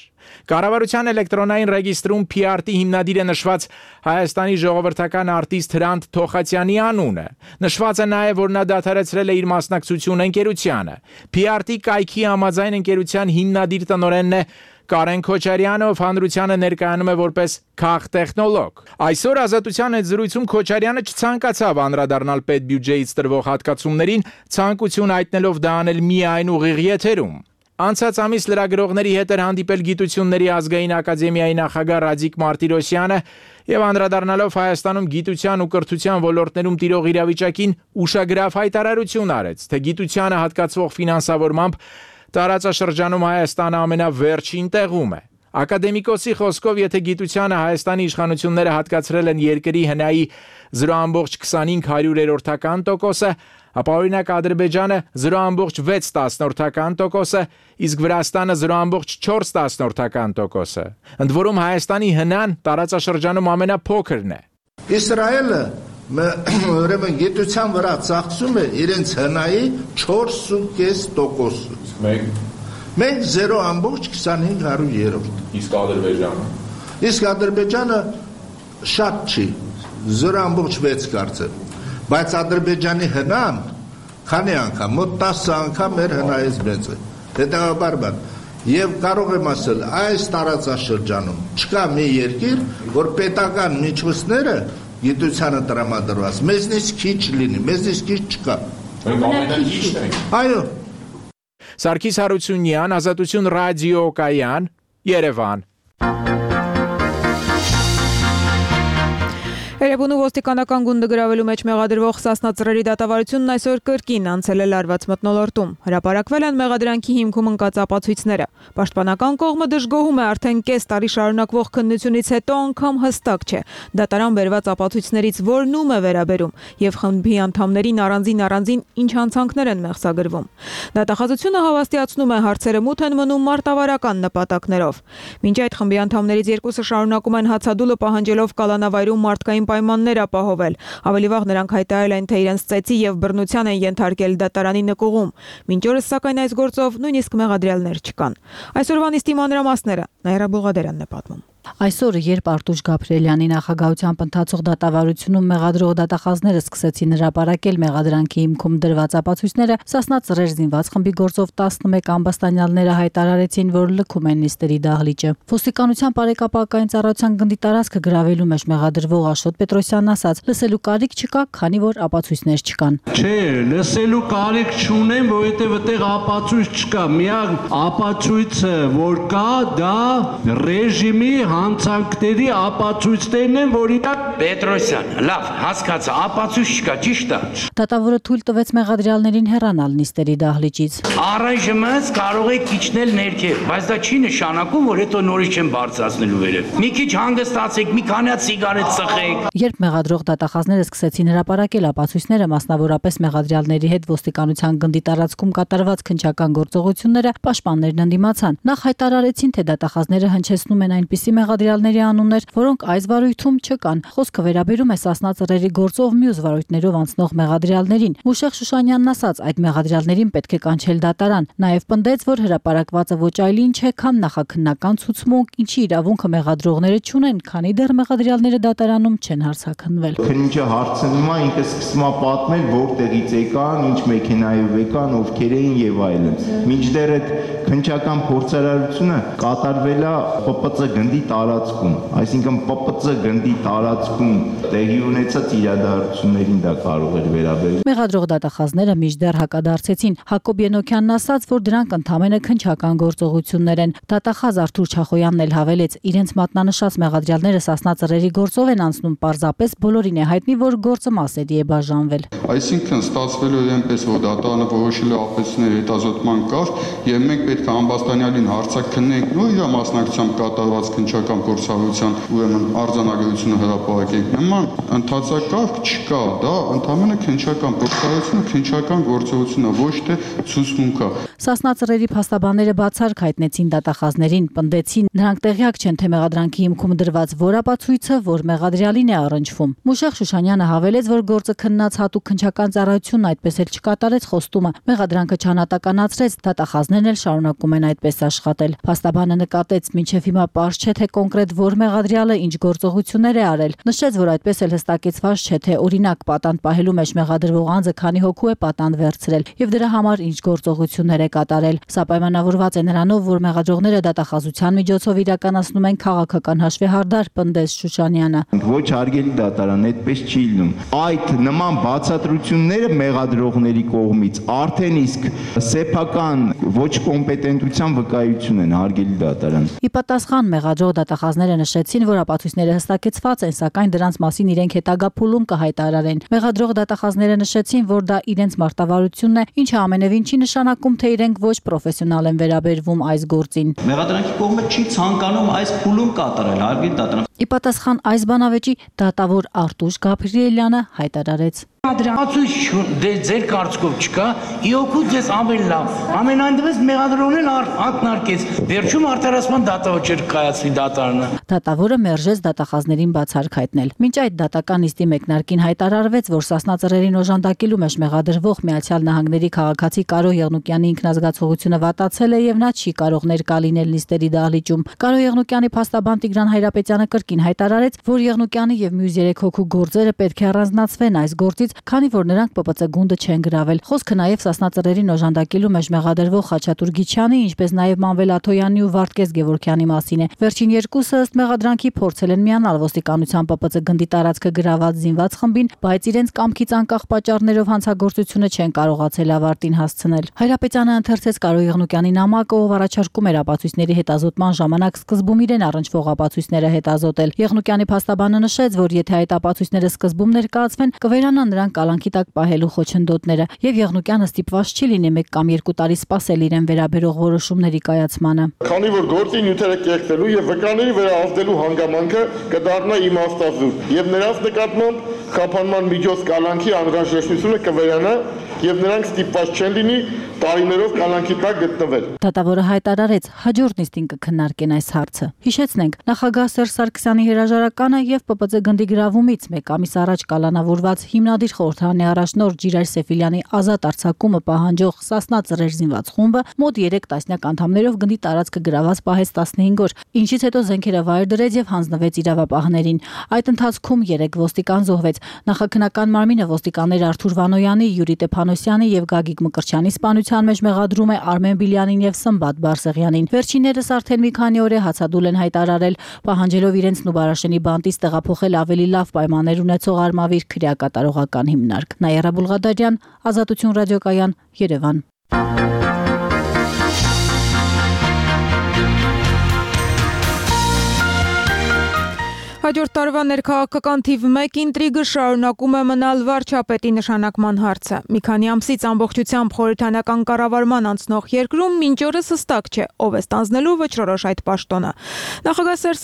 Կառավարության էլեկտրոնային ռեգիստրում Փիարտի հիմնադիր է նշված Հայաստանի ժողովրդական արտիստ Հրանտ Թոխացյանի անունը։ Նշված է նաև, որ նա դադարեցրել է իր մասնակցությունը ընկերությանը։ Փիարտի կայքի համաձայն ընկերության հիմնադիր տնօրենն է Կարեն Քոչարյանը հանրությանը ներկայանում է որպես քաղտեխնոլոգ։ Այսօր Ազատության հետ զրույցում Քոչարյանը չցանկացավ անդրադառնալ պետբյուջեից տրվող հատկացումներին, ցանկություն հայտնելով դա անել միայն ուղիղ եթերում։ Անցած ամիս լրագրողների հետ էր հանդիպել Գիտությունների ազգային ակադեմիայի նախագահ Ռադիկ Մարտիրոսյանը եւ անդրադառնալով Հայաստանում գիտության ու կրթության ոլորտներում տիրող իրավիճակին ուշագրավ հայտարարություն արեց, թե գիտությանը հատկացվող ֆինանսավորմամբ տարածաշրջանում Հայաստանը ամենավերջին տեղում է։ Ակադեմիկոսի խոսքով, եթե գիտությանը Հայաստանի իշխանությունները հատկացրել են երկրի հնայի զրո կόμma քսանհինգ հարյուրերորդական տոկոսը, ապա օրինակ Ադրբեջանը զրո կόμma վեց տասնորդական տոկոսը, իսկ Վրաստանը զրո կόμma չորս տասնորդական տոկոսը։ Ընդ որում Հայաստանի հնան տարածաշրջանում ամենափոքրն է։ Իսրայելը ուրեմն գիտության վրա ծախսում է իրենց հնայի չորս կόμma պենս տոկոսը։ Մենք Մենք զրո կόμma քսանհինգ հարյուրերորդ։ Իսկ Ադրբեջանը։ Իսկ Ադրբեջանը շատ չի, զրո կόμma վեց կարծեմ։ Բայց Ադրբեջանի հնան քանի անգամ, մոտ տասը անգամ մեր հնայից մեծ է։ Հետևաբար բան։ Եվ կարող եմ ասել, այս տարածաշրջանում չկա մի երկիր, որ պետական միջոցները գիտությանը տրամադրված, մեզնից քիչ լինի, մեզնից քիչ չկա։ Մենք ամենաքիչն ենք։ Այո։ Սարգիս Հարությունյան, Ազատություն ռադիոկայան, Երևան։ Երևանու ոստիկանական գունդը գրավելու մեջ մեղադրվող Սասնա ծռերի դատավարությունն այսօր կրկին անցել է լարված մթնոլորտում։ Հրապարակվել են մեղադրանքի հիմքում ընկած ապացույցները։ Պաշտպանական կողմը դժգոհում է արդեն կես տարի շարունակվող քննությունից հետո անգամ հստակ չէ դատարան բերված ապացույցներից որն ում է վերաբերում եւ խմբի անդամներին առանձին առանձին ինչ հանցանքներ են մեղսագրվում։ Դատախազությունը հավաստիացնում է հարցերը մութ են մնում մարտավարական նպատակներով։ Մինչ այդ խմբի անդամներից երկուսը շարունակում են հացադուլը պահանջելով կալանավայրում մարդկային պայմաններ ապահովել։ Ավելի վաղ նրանք հայտարարել են, թե իրենց ծեծի եւ բռնության են ենթարկել դատարանի նկուղում։ Մինչ օրս սակայն այս գործով նույնիսկ մեղադրյալներ չկան։ Այսօրվա նիստի մանրամասները Նաիրա Բուղադերյանն է պատմում։ Այսօր, երբ Արտուշ Գաբրիելյանի նախագահությամբ ընթացող դատավարությունում մեղադրող դատախազները սկսեցին հրապարակել մեղադրանքի հիմքում դրված ապացույցները, Սասնա ծռեր զինված խմբի գործով տասնմեկ ամբաստանյալները հայտարարեցին, որ լքում են նիստերի դահլիճը։ Ոստիկանության բարեկապակային ծառայության գնդի տարածքը գրավելու մեջ մեղադրվող Աշոտ Պետրոսյանն ասաց, լսելու կարիք չկա, քանի որ ապացույցներ չկան։ Չէ, լսելու կարիք չունեմ, որովհետև այդտեղ ապացույց չկա։ Միակ ապացույցը, որ կա, դա ռեժիմի հանցանքների ապացույցներն են, որ իրաք Պետրոսյան, լավ, հասկացա, ապացույց չկա, ճիշտ է։ Դատավորը թույլ տվեց մեղադրյալներին հեռանալ նիստերի դահլիճից։ Առայժմ կարող եք իջնել ներքև, բայց դա չի նշանակում, որ հետո նորից չեն բարձրացնելու վերև։ Մի քիչ հանգստացեք, մի քանի հատ սիգարետ ծխեք։ Երբ մեղադրող դատախազները սկսեցին հրապարակել ապացույցները, մասնավորապես մեղադրյալների հետ ոստիկանության գնդի տարածքում կատարված քննչական գործողությունները, պաշտպաններն ընդդիմացան։ Նախ հայտարարեցին, թե դատախազները հնչեցնում են այնպիսի մեղադրյալների անուններ, որոնք այս վարույթում չկան։ Խոսքը վերաբերում է Սասնա ծռերի գործով մյուս վարույթներով անցնող մեղադրյալներին։ Մուշեղ Շուշանյանն ասաց, այդ մեղադրյալներին պետք է կանչել դատարան։ Նաև պնդեց, որ հրապարակվածը ոչ այլ ինչ է, քան նախաքննական ցուցմունք, ինչի իրավունքը մեղադրողները չունեն, քանի դեռ մեղադրյալները դատարանում չեն հարցաքննվել։ Քննիչը հարցնում է, ինքը սկսում է պատմել, որտեղից եկան, ինչ մեքենայով եկան, ովքեր էին եւ այլն։ Մինչդեռ այդ քննչական փորձարարությունը կատարվել է Պ Պ Ծ գնդի տարածքում, այսինքն Պ Պ Ծ գնդի տարածքում տեղի ունեցած իրադարձություններին դա կարող էր վերաբերել։ Մեղադրող դատախազները մինչդեռ հակադարձեցին։ Հակոբ Ենոքյանն ասաց, որ դրանք ընդհանրապես քննչական գործողություններ են։ Դատախազ Արթուր Չախոյանն էլ հավելեց, իրենց մատնանշած մեղադրյալները Սասնա ծռերի գործով են անցնում, պարզապես բոլորին է հայտնի, որ գործը մասերի է բաժանվել։ Այսինքն ստացվել է այնպես, որ դատարանը որոշել է ապացույցների հետազոտման կարգ, եւ մենք պետք է ամբաստանյալին հարցաքննենք ու իր մասնակցությամբ կատարված քննչական փորձառության ուրեմն արձանագրությունը հրապարակենք։ Նման ընդհանրակարգ չկա, դա ընդհանրապես քննչական փորձառությունը, քննչական գործողությունը, ոչ թե ցուցմունք է։ Սասնա ծռերի փաստաբանները բացառք հայտնեցին դատախազներին, պնդեցին, նրանք տեղյակ չեն, թե մեղադրանքի հիմքում դրված որ ապացույցը, որ մեղադրյալին է առնչվում։ Մուշեղ Շուշանյանը հավելեց, որ գործը քննած հատուկ քննչական ծառայությունն այդպես էլ չկատարեց խոստումը։ Մեղադրանքը չանատականացրեց, դատախազներն էլ շարունակում են այդպես աշխատել։ Փաստաբանը նկատեց, մինչև հիմա պարզ չէ, թե կոնկրետ որ մեղադրյալը ինչ գործողություններ է արել։ Նշեց, որ այդպես էլ հստակեցված չէ, թե օրինակ պատանդ պահելու մեջ մեղադրվող անձը քանի հոգու է պատանդ վերցրել եւ դրա համար ինչ գործողություններ է կատարել։ Սա պայմանավորված է նրանով, որ մեղադրողները դատախազության միջոցով իրականացնում են քաղաքական հաշվեհարդար, պնդեց Շուշանյանը։ Ոչ հարգելի դատարան, այդպես չի լինում։ Այդ նման բացատրությունները մեղադրողների կողմից արդեն իսկ սեփական ոչ կոմպետենտության վկայություն են, հարգելի դատարան։ Ի պատասխան մեղադրող դատախազները նշեցին, որ ապացույցները հստակեցված են, սակայն դրանց մասին իրենք հետագա փուլում կհայտարարեն։ Մեղադրող դատախազները նշեցին, որ դա իրենց մարտավարությունն է, ինչը ամենևին չի նշանակում, թե իրենք ոչ պրոֆեսիոնալ են վերաբերվում այս գործին։ Մեղադրանքի կողմը չի ցանկանում այս փուլում կատարել, հարգելի դատարան։ Ի պատասխան այս բանավեճի դատավոր Արտուշ Գաբրիելյանը հայտարարեց. Ադրացույց ձեր կարծիքով չկա, իօքուց ձեզ ավելի լավ։ Ամենայն դեպս մեղադրողն ակնարկեց, վերջում արդարացման դատավճիռ կայացվի դատարանը։ Դատավորը մերժեց դատախազներին բացառք հայտնել։ Մինչ այդ դատական նիստի մեկնարկին հայտարարվեց, որ Սասնա ծռերին օժանդակելու մեջ մեղադրվող Միացյալ Նահանգների քաղաքացի Կարո Եղնուկյանի ինքնազգացողությունը վատացել է եւ նա չի կարող ներկա լինել նիստերի դահլիճում։ Կարո Եղնուկյանի փաստաբան Տիգրան Հայրապետյանը կրկին հայտարարեց, որ Եղնուկյանի եւ մյուս երեք հոգու գործերը պետք է առանձնացվեն այս գործից, քանի որ նրանք Պ Պ Ց գունդը չեն գրավել։ Խոսքը նաև Սասնա ծռերին օժանդակելու մեջ մեղադրվող Խաչատուր Գիչյանի, ինչպես նաև Մանվել Աթոյանի ու Վարդգես Գևորգյանի մասին է։ Վերջին երկուսը ըստ մեղադրանքի փորձել են միանալ ոստիկանության Պ Պ Ց գնդի տարածքը գրաված զինված խմբին, բայց իրենց կամքից անկախ պատճառներով հանցագործությունը չեն կարողացել ավարտին հասցնել։ Հայրապետյանը ընթերցեց Կարո Եղնուկյանի նամակը, ով առաջարկում էր ապացույցների հետազոտման ժամանակ սկզբում իրեն առնչվող ապացույցները հետազոտել։ Եղնուկյանի փաստաբանը նշեց, որ եթե այդ ապացույցները սկզբում ներկայացվեն, կվերանան նրան կալանքի տակ պահելու խոչընդոտները, եւ Եղնուկյանը ստիպված չի լինի մեկ կամ երկու տարի սպասել իրեն վերաբերող որոշումների կայացմանը։ Քանի որ գործի նյութերը կեղտելու եւ վկաների վերահսկելու հանգամանքը կդառնա իմաստազուրկ եւ նրանց նկատմամբ խափանման միջոց կալանքի անհրաժեշտությունը կվերանա եւ նրանք ստիպված չեն լինի տարիներով կալանքի տակ գտնվել։ Դատավորը հայտարարեց, հաջորդ նիստին կքննարկեն այս հարցը։ Հիշեցնենք, նախագահ Սերժ Սարգսյանի հրաժարականը եւ Պ Պ Ց գնդի գրավումից մեկ ամիս առաջ կալանավորված հիմնադիր խորհրդարանի առաջնորդ Ջիրայր Սեֆիլյանի ազատ արձակումը պահանջող Սասնա ծռեր զինված խումբը մոտ երեք տասնյակ անդամներով գնդի տարածքը գրաված պահեց տասնհինգ օր, ինչից հետո զենքերը վայր դրեց եւ հանձնվեց իրավապահներին։ Այդ ընթացքում երեք ոստիկան զոհվեց։ Նախաքննական մարմինը ոստիկաններ Արթուր Վանոյանի, Յուրի Տեփանոսյանի եւ Գագիկ Մկրտչյանի սպանության մեջ մեղադրում է Արմեն Բիլյանին եւ Սմբատ Բարսեղյանին։ Վերջիններս արդեն մի քանի օր է հացադուլ են հայտարարել, պահանջելով իրենց Նուբարաշենի բանտից տեղափոխել ավելի լավ պայմաններ ունեցող Արմավիր քրեակատարողական հիմնարկ։ Նաիրա Բուլղադարյան, Ազատություն ռադիոկայան, Երևան։ Հաջորդ տարվա ներքաղաքական թիվ մեկ ինտրիգը շարունակում է մնալ վարչապետի նշանակման հարցը։ Մի քանի ամսից ամբողջությամբ խորհրդանական կառավարման անցնող երկրում մինչ օրս հստակ չէ, ով է ստանձնելու վճռորոշ այդ պաշտոնը։ Նախագահ Սերժ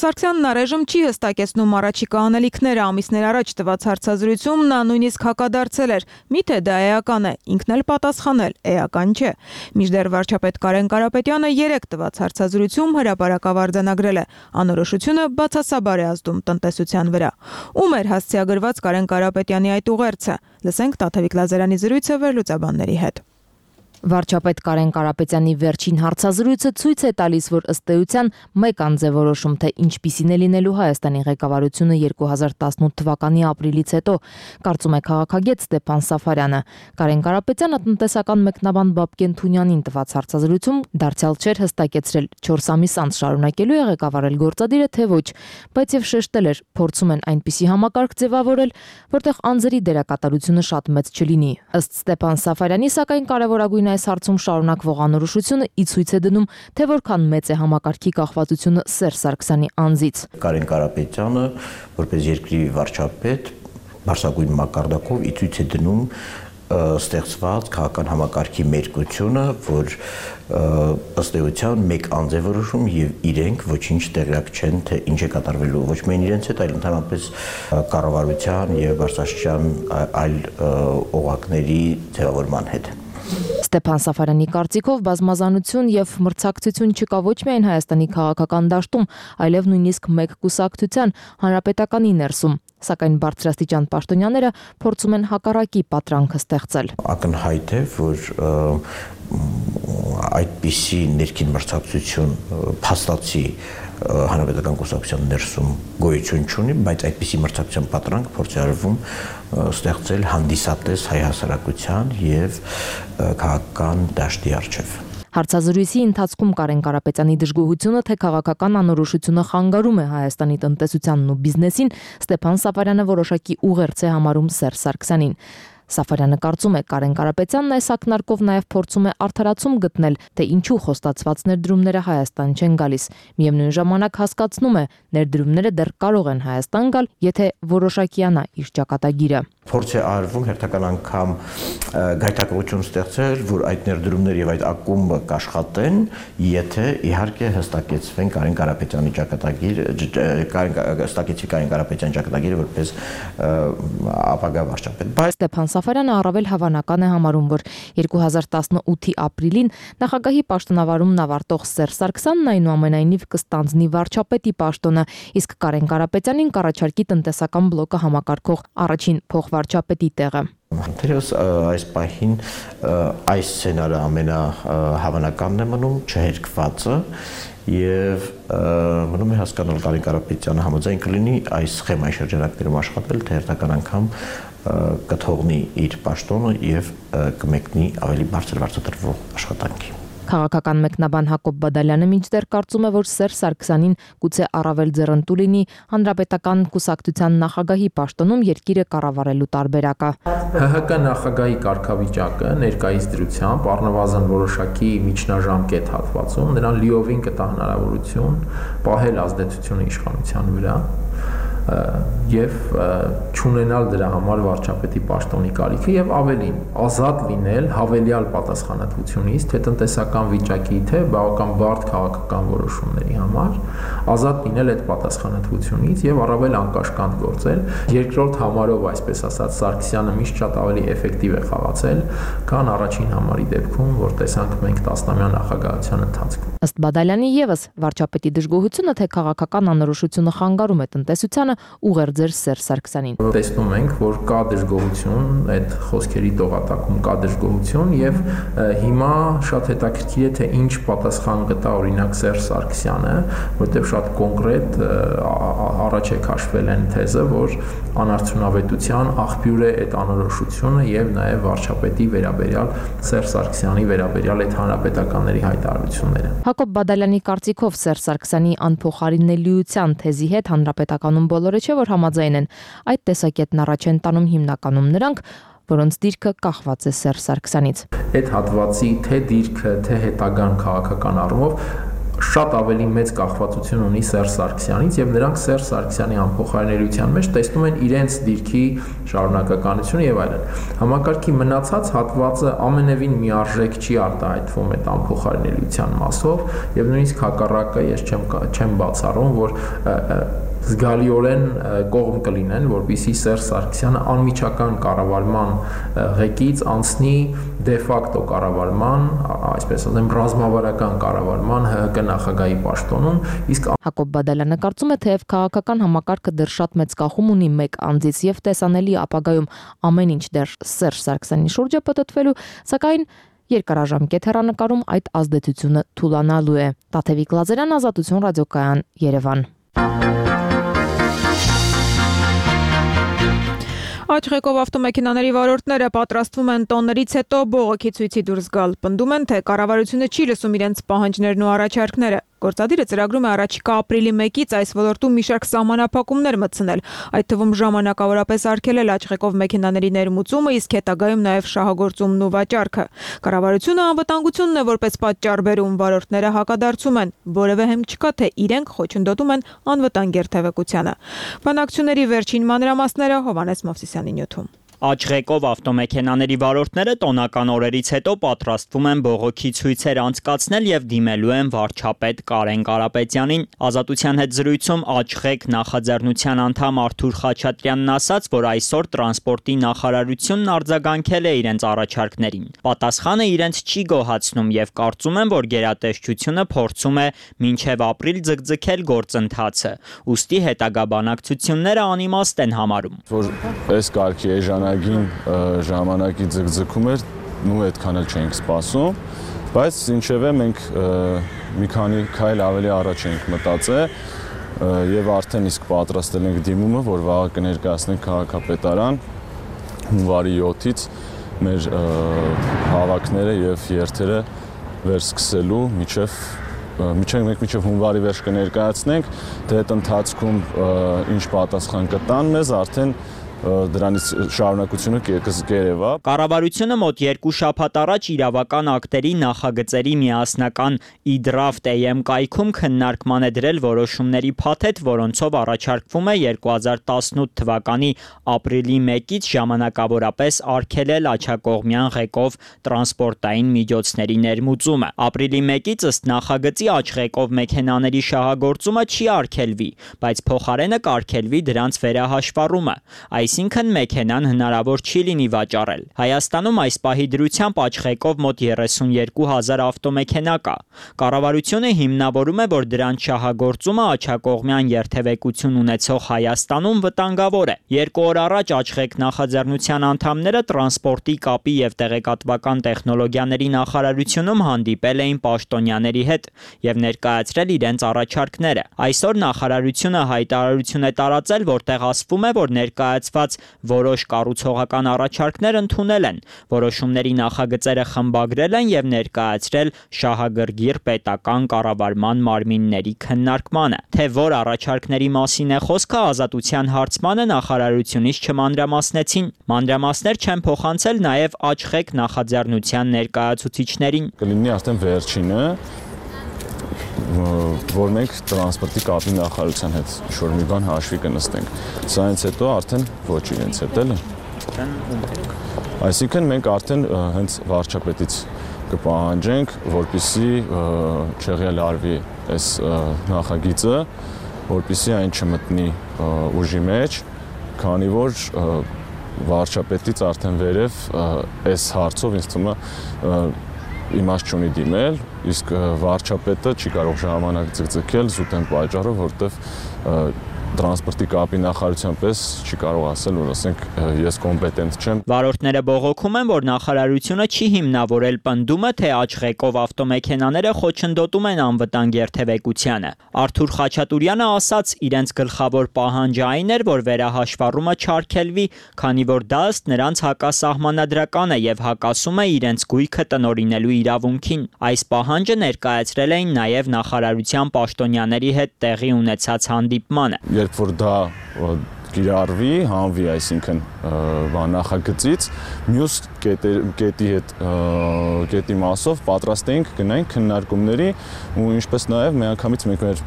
Սարգսյանն առայժմ չի հստակեցնում առաջիկա անելիքները, ամիսներ առաջ տված հարցազրույցում նա նույնիսկ հակադարձել էր, միթե դա էական է, ինքն էլ պատասխանել, էական չէ։ Մինչդեռ վարչապետ Կարեն Կարապետյանը երեք տված հարցազրույցում հրապարակավ արձանագրել է, անորոշությունը բացասաբար է ազդում տնտեսության վրա։ Ում էր հասցեագրված Կարեն Կարապետյանի այդ ուղերձը։ Լսենք Տաթևիկ Լազարյանի զրույցը վերլուծաբանների հետ։ Վարչապետ Կարեն Կարապետյանի վերջին հարցազրույցը ցույց է տալիս, որ ըստ էության մեկ անձ է որոշում, թե ինչպիսին է լինելու Հայաստանի ղեկավարությունը երկու հազար տասնութ թվականի ապրիլից հետո, կարծում է քաղաքագետ Ստեփան Սաֆարյանը։ Կարեն Կարապետյանը տնտեսական մեկնաբան Բաբկեն Թունյանին տված հարցազրույցում դարձյալ չէր հստակեցրել չորս ամիս անց շարունակելու է ղեկավարել գործադիրը, թե ոչ, բայց եւ շեշտել էր, փորձում են այնպիսի համակարգ ձևավորել, որտեղ անձերի դերակատարությունը շատ մեծ չլինի։ Ըստ Ստեփան Սաֆարյանի, սակայն կարևորագույն այս հարցում շարունակվող անորոշությունը ի ցույց է դնում, թե որքան մեծ է համակարգի կախվածությունը Սերժ Սարգսյանի անձից։ Կարեն Կարապետյանը, որպես երկրի վարչապետ, բարձրագույն մակարդակով ի ցույց է դնում ստեղծված քաղաքական համակարգի մերկությունը, որ ըստ էության մեկ անձ է որոշում եւ իրենք ոչինչ տեղյակ չեն, թե ինչ է կատարվելու ոչ միայն իրենց հետ, այլ ընդհանրապես կառավարության եւ բարձրաստիճան այլ օղակների ձևավորման հետ։ Ստեփան Սաֆարյանի կարծիքով բազմազանություն եւ մրցակցություն չկա ոչ միայն Հայաստանի քաղաքական դաշտում, այլև նույնիսկ մեկ կուսակցության հանրապետականի ներսում, սակայն բարձրաստիճան պաշտոնյաները փորձում են հակառակի պատրանքը ստեղծել։ Ակնհայտ է, որ այդպիսի ներքին մրցակցություն փաստացի հանրապետական կուսակցության ներսում գոյություն չունի, բայց այդպիսի մրցակցության պատրանք փորձ է արվում ստեղծել հանդիսատես հայ հասարակության եւ քաղաքական դաշտի առջև։ Հարցազրույցի ընթացքում Կարեն Կարապետյանի դժգոհությունը, թե քաղաքական անորոշությունը խանգարում է Հայաստանի տնտեսությանն ու բիզնեսին, Ստեփան Սաֆարյանը որոշակի ուղերձ է համարում Սերժ Սարգսյանին։ Սաֆարյանը կարծում է, Կարեն Կարապետյանն այս ակնարկով նաև փորձում է արդարացում գտնել, թե ինչու խոստացված ներդրումները Հայաստան չեն գալիս։ Միևնույն ժամանակ հասկացնում է, ներդրումները դեռ կարող են Հայաստան գալ, եթե որոշակիանա իր ճակատագիրը։ Փորձ է արվում հերթական անգամ գայթակղություն ստեղծել, որ այդ ներդրումները եւ այդ ակումբը կաշխատեն, եթե իհարկե հստակեցվեն Կարեն Կարապետյանի ճակատագիրը, հստակեցվի Կարեն Կարապետյանի ճակատագիրը որպես ապագա վարչապետ։ Բայց Ստեփան Սաֆարյանը առավել հավանական է համարում, որ երկու հազար տասնութի ապրիլին նախագահի պաշտոնավարումն ավարտող Սերժ Սարգսյանն այնուամենայնիվ կստանձնի վարչապետի պաշտոնը, իսկ Կարեն Կարապետյանին կառաջարկի տնտեսական բլոկը համակարգող առաջին փոխվարչապետի տեղը։ Թերևս այս պահին այս սցենարը ամենահավանականն է մնում, չհերկվածը, եւ մնում է հասկանալ Կարեն Կարապետյանը համաձայն կլինի այս սխեմայի շրջանակներում աշխատել, թե հերթական անգամ կթողնի իր պաշտոնը եւ կմեկնի ավելի բարձր վարձատրվող աշխատանքի։ Քաղաքական մեկնաբան Հակոբ Բադալյանը մինչդեռ կարծում է, որ Սերժ Սարգսյանին գուցե առավել ձեռնտու լինի հանրապետական կուսակցության նախագահի պաշտոնում երկիրը կառավարելու տարբերակը։ Հ Հ Կ նախագահի կարգավիճակը ներկայիս դրությամբ առնվազն որոշակի միջնաժամկետ հատվածում նրան լիովին կտա հնարավորություն պահել ազդեցությունը իշխանության վրա եւ չունենալ դրա համար վարչապետի պաշտոնի կարիքը եւ ավելին ազատ լինել հավելյալ պատասխանատվությունից թե տնտեսական վիճակի թե բավական բարդ քաղաքական որոշումների համար ազատ լինել այդ պատասխանատվությունից եւ առավել անկաշկանդ գործել երկրորդ համարով այսպես ասած Սարգսյանը միշտ շատ ավելի էֆեկտիվ է խաղացել քան առաջին համարի դեպքում որ տեսանք մենք տասնամյա նախագահության ընթացքում ըստ Բադալյանի եւս վարչապետի դժգոհությունը թե քաղաքական անորոշությունը խանգարում է տնտեսությանը ուղերձեր Սերժ Սարգսյանին։ Տեսնում ենք, որ կա դժգոհություն, այդ խոսքերի տողատակում կա դժգոհություն եւ հիմա շատ հետաքրքիր է թե ինչ պատասխան կտա օրինակ Սերժ Սարգսյանը, որտեղ շատ կոնկրետ առաջ է քաշվել այն թեզը, որ անարդյունավետության աղբյուր է այդ անորոշությունը եւ նաեւ վարչապետի վերաբերյալ Սերժ Սարգսյանի վերաբերյալ այդ հանրապետականների հայտարարությունները։ Հակոբ Բադալյանի կարծիքով Սերժ Սարգսյանի անփոխարինելիության թեզի հետ հանրապետականում բոլորը չէ որ համաձայն են, այդ տեսակետն առաջ են տանում հիմնականում նրանք, որոնց դիրքը կախված է Սերժ Սարգսյանից։ Այդ հատվածի թե դիրքը, թե հետագան քաղաքական առումով շատ ավելի մեծ կախվածություն ունի Սերժ Սարգսյանից եւ նրանք Սերժ Սարգսյանի անփոխարինելիության մեջ տեսնում են իրենց դիրքի շարունակականությունը եւ այլն։ Համակարգի մնացած հատվածը ամենևին միարժեք չի արտահայտվում այդ անփոխարինելիության մասով եւ նույնիսկ հակառակը ես չեմ չեմ բացառում, որ զգալիորեն կողմ կլինեն, որպեսզի Սերժ Սարգսյանը անմիջական կառավարման ղեկից անցնի դե ֆակտո կառավարման, այսպես ասեմ, ռազմավարական կառավարման Հ Հ Կ նախագահի պաշտոնում, իսկ Հակոբ Բադալյանը կարծում է, թեև քաղաքական համակարգը դեռ շատ մեծ կախում ունի մեկ անձից եւ տեսանելի ապագայում ամեն ինչ դեռ Սերժ Սարգսյանի շուրջ է պատտվելու, սակայն երկարաժամկետ հեռանկարում այդ ազդեցությունը թուլանալու է։ Տաթևիկ Լազարյան, Ազատություն, ռադիոկայան, Երևան։ Աչղեկով ավտոմեքենաների վարորդները պատրաստվում են տոններից հետո բողոքի ցույցի դուրս գալ։ Պնդում են, թե կառավարությունը չի լսում իրենց պահանջներն ու առաջարկները։ Գործադիրը ծրագրում է առաջիկա ապրիլի մեկից այս ոլորտում մի շարք սահմանափակումներ մտցնել, այդ թվում ժամանակավորապես արգելել աչղեկով մեքենաների ներմուծումը, իսկ հետագայում նաև շահագործումն ու վաճառքը։ Կառավարությունը անվտանգությունն է որպես պատճառ բերում, վարորդները հակադարձում են, որևէ հենք չկա, թե իրենք խոչընդոտում են անվտանգ երթևեկությանը։ Բանակցությունների վերջին մանրամասները Հովհաննես Մովսիսյանի նյութում։ Աչղեկով ավտոմեքենաների վարորդները տոնական օրերից հետո պատրաստվում են բողոքի ցույցեր անցկացնել եւ դիմելու են վարչապետ Կարեն Կարապետյանին։ Ազատության հետ զրույցում Աչղեկ նախաձեռնության անդամ Արթուր Խաչատրյանն ասաց, որ այսօր տրանսպորտի նախարարությունն արձագանքել է իրենց առաջարկներին։ Պատասխանը իրենց չի գոհացնում եւ կարծում են, որ գերատեսչությունը փորձում է մինչեւ ապրիլ ձգձգել գործընթացը։ Ուստի հետագա բանակցությունները անիմաստ են համարում։ Որ այս կարգի էժանագին ժամանակի ձգձգում էր նու այդքան էլ չէինք սպասում, բայց ինչևէ մենք մի քանի քայլ ավելի առաջ ենք մտածել եւ արդեն իսկ պատրաստել ենք դիմումը, որ վաղը կներկայացնենք քաղաքապետարան հունվարի յոթից մեր հավաքները եւ երթերը վերսկսելու միջև միջև մենք միջև հունվարի վերջ կներկայացնենք, թե այդ ընթացքում ինչ պատասխան կտան մեզ, արդեն դրանից շարունակությունը կերևա։ Կառավարությունը մոտ երկու շաբաթ առաջ իրավական ակտերի նախագծերի միասնական e-draft A M կայքում քննարկման է դրել որոշումների փաթեթ, որոնցով առաջարկվում է երկու հազար տասնութ թվականի ապրիլի մեկից ժամանակավորապես արգելել աջակողմյան ղեկով տրանսպորտային միջոցների ներմուծումը։ Ապրիլի մեկից ըստ նախագծի աճղեկով մեքենաների շահագործումը չի արգելվի, բայց փոխարենը կարգելվի դրանց վերահաշվառումը։ Այսինքն մեքենան հնարավոր չի լինի վաճառել։ Հայաստանում այս պահի դրությամբ աճղեկով մոտ երեսունյոթ հազար ավտոմեքենա կա։ Կառավարությունը հիմնավորում է, որ դրանց շահագործումը աջակողմյան երթևեկություն ունեցող Հայաստանում վտանգավոր է։ Երկու օր առաջ աճղեկ նախաձեռնության անդամները տրանսպորտի կապի եւ տեղեկատվական տեխնոլոգիաների նախարարությունում հանդիպել էին պաշտոնյաների հետ եւ ներկայացրել իրենց առաջարկները։ Այսօր նախարարությունը հայտարարություն է տարածել, որտեղ ասվում է, որ ներկայացված որոշ կառուցողական առաջարկներ ընդունել են, որոշումների նախագծերը խմբագրել են եւ ներկայացրել շահագրգիռ պետական կառավարման մարմինների քննարկմանը։ Թե որ առաջարկների մասին է խոսքը, Ազատության հարցմանը նախարարությունից չմանրամասնեցին։ Մանրամասներ չեն փոխանցել նաեւ աճղեկ նախաձեռնության ներկայացուցիչներին։ Կլինի արդեն վերջինը, որ մենք տրանսպորտի կապի նախարարության հետ ինչ-որ մի բան հաշվի կնստենք։ Սա հենց հետո արդեն ոչ իրենց հետ էլ է։ Այսինքն մենք արդեն հենց վարչապետից կպահանջենք, որպեսզի չեղյալարվի այս նախագիծը, որպեսզի այն չմտնի ուժի մեջ, քանի որ վարչապետից արդեն վերև այս հարցով ինձ թվում է իմաստ չունի դիմել, իսկ վարչապետը չի կարող ժամանակ ձգձգել զուտ այն պատճառով, որտեվ տրանսպորտի կապի նախարարության պես չի կարող ասել, որ ասենք ես կոմպետենտ չեմ։ Վարորդները բողոքում են, որ նախարարությունը չի հիմնավորել պնդումը, թե աճղեկով ավտոմեքենաները խոչընդոտում են անվտանգ երթևեկությանը։ Արթուր Խաչատուրյանը ասաց, իրենց գլխավոր պահանջը այն էր, որ վերահաշվառումը չարգելվի, քանի որ դա ըստ նրանց հակասահմանադրական է եւ հակասում է իրենց գույքը տնօրինելու իրավունքին։ Այս պահանջը ներկայացրել էին նաեւ նախարարության պաշտոնյաների հետ տեղի ունեցած հանդիպմանը։ Երբ որ դա կիրառվի, հանվի, այսինքն նախագծից, մյուս կետի հետ կետի մասով պատրաստ էինք գնայինք քննարկումների ու ինչպես նաև միանգամից մենք մեր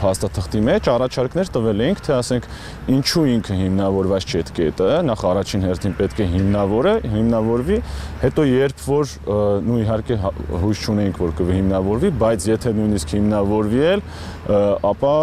փաստաթղթի մեջ առաջարկներ տվել էինք, թե ասենք ինչու ինքը հիմնավորված չէ այդ կետը, նախ առաջին հերթին պետք է հիմնավորը, հիմնավորվի, հետո երբ որ նույն իհարկե հույս չունենք, որ կհիմնավորվի, բայց եթե նույնիսկ հիմնավորվի էլ, ապա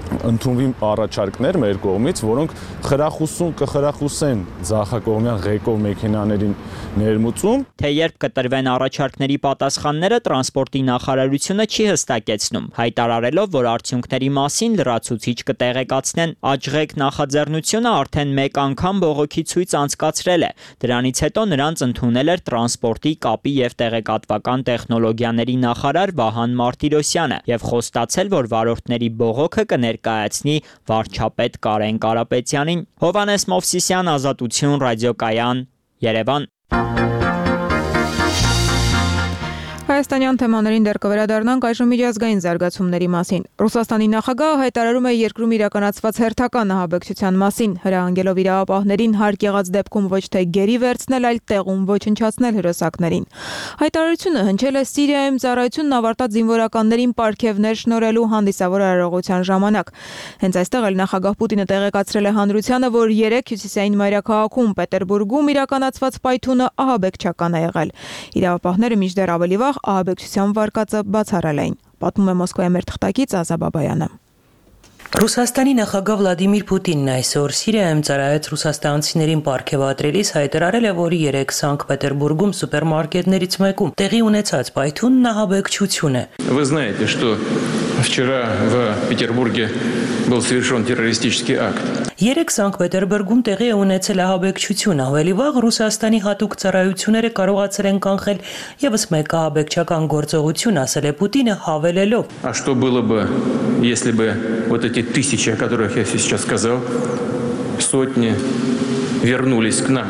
ընդունվի առաջարկներ մեր կողմից, որոնք խրախուսում կխրախուսեն ձախակողմյան ղեկով մեքենաներին ներմուծում։ Թե երբ կտրվեն առաջարկների պատասխանները, տրանսպորտի նախարարությունը չի հստակեցնում, հայտարարելով, որ արդյունքների մասին լրացուցիչ կտեղեկացնեն։ Աճղեկ նախաձեռնությունը արդեն մեկ անգամ բողոքի ցույց անցկացրել է։ Դրանից հետո նրանց ընդունել էր տրանսպորտի կապի եւ տեղեկատվական տեխնոլոգիաների նախարար Վահան Մարտիրոսյանը եւ խոստացել, որ վարորդների բողոքը կներկայացնի վարչապետ Կարեն Կարապետյանին։ Հովհաննես Մովսիսյան, Ազատություն, Ռադիոկայան, Երևան։ Հայաստանյան թեմաներին դեռ կվերադառնանք այժմ միջազգային զարգացումների մասին։ Ռուսաստանի նախագահը հայտարարում է երկրում իրականացված հերթական ահաբեկչության մասին, հրահանգելով իրավապահներին հարկ եղած դեպքում ոչ թե գերի վերցնել, այլ տեղում ոչնչացնել հրոսակներին։ Հայտարարությունը հնչել է Սիրիայում ծառայությունն ավարտած զինվորականներին պարգևներ շնորհելու հանդիսավոր արարողության ժամանակ։ Հենց այստեղ էլ նախագահ Պուտինը տեղեկացրել է հանրությանը, որ երեք հյուսիսային մայրաքաղաքում Պետերբուրգում իրականացված պայթյունը ահաբեկչական է եղել։ Իրավապահները մինչդեռ ավելի վաղ ահաբեկչության վարկածը բացառել էին, պատմում է Մոսկվայի մեր թղթակից Ազա Բաբայանը։ Ռուսաստանի նախագահ Վլադիմիր Պուտինն այսօր Սիրիայում ծառայած ռուսաստանցիներին պարգևատրելիս հայտարարել է, որ երեք Սանկտ Պետերբուրգում սուպերմարկետներից մեկում տեղի ունեցած պայթյունն ահաբեկչություն է։ Вы знаете, что Вчера в Петербурге был совершен террористический акт. Երեք Սանկտ Պետերբուրգում տեղի է ունեցել ահաբեկչություն, ավելի վաղ Ռուսաստանի հատուկ ծառայությունները կարողացել են կանխել եւս մեկ ահաբեկչական գործողություն, ասել է Պուտինը հավելելով. А что было бы, если бы вот эти тысячи, о которых я сейчас сказал, сотни вернулись к нам?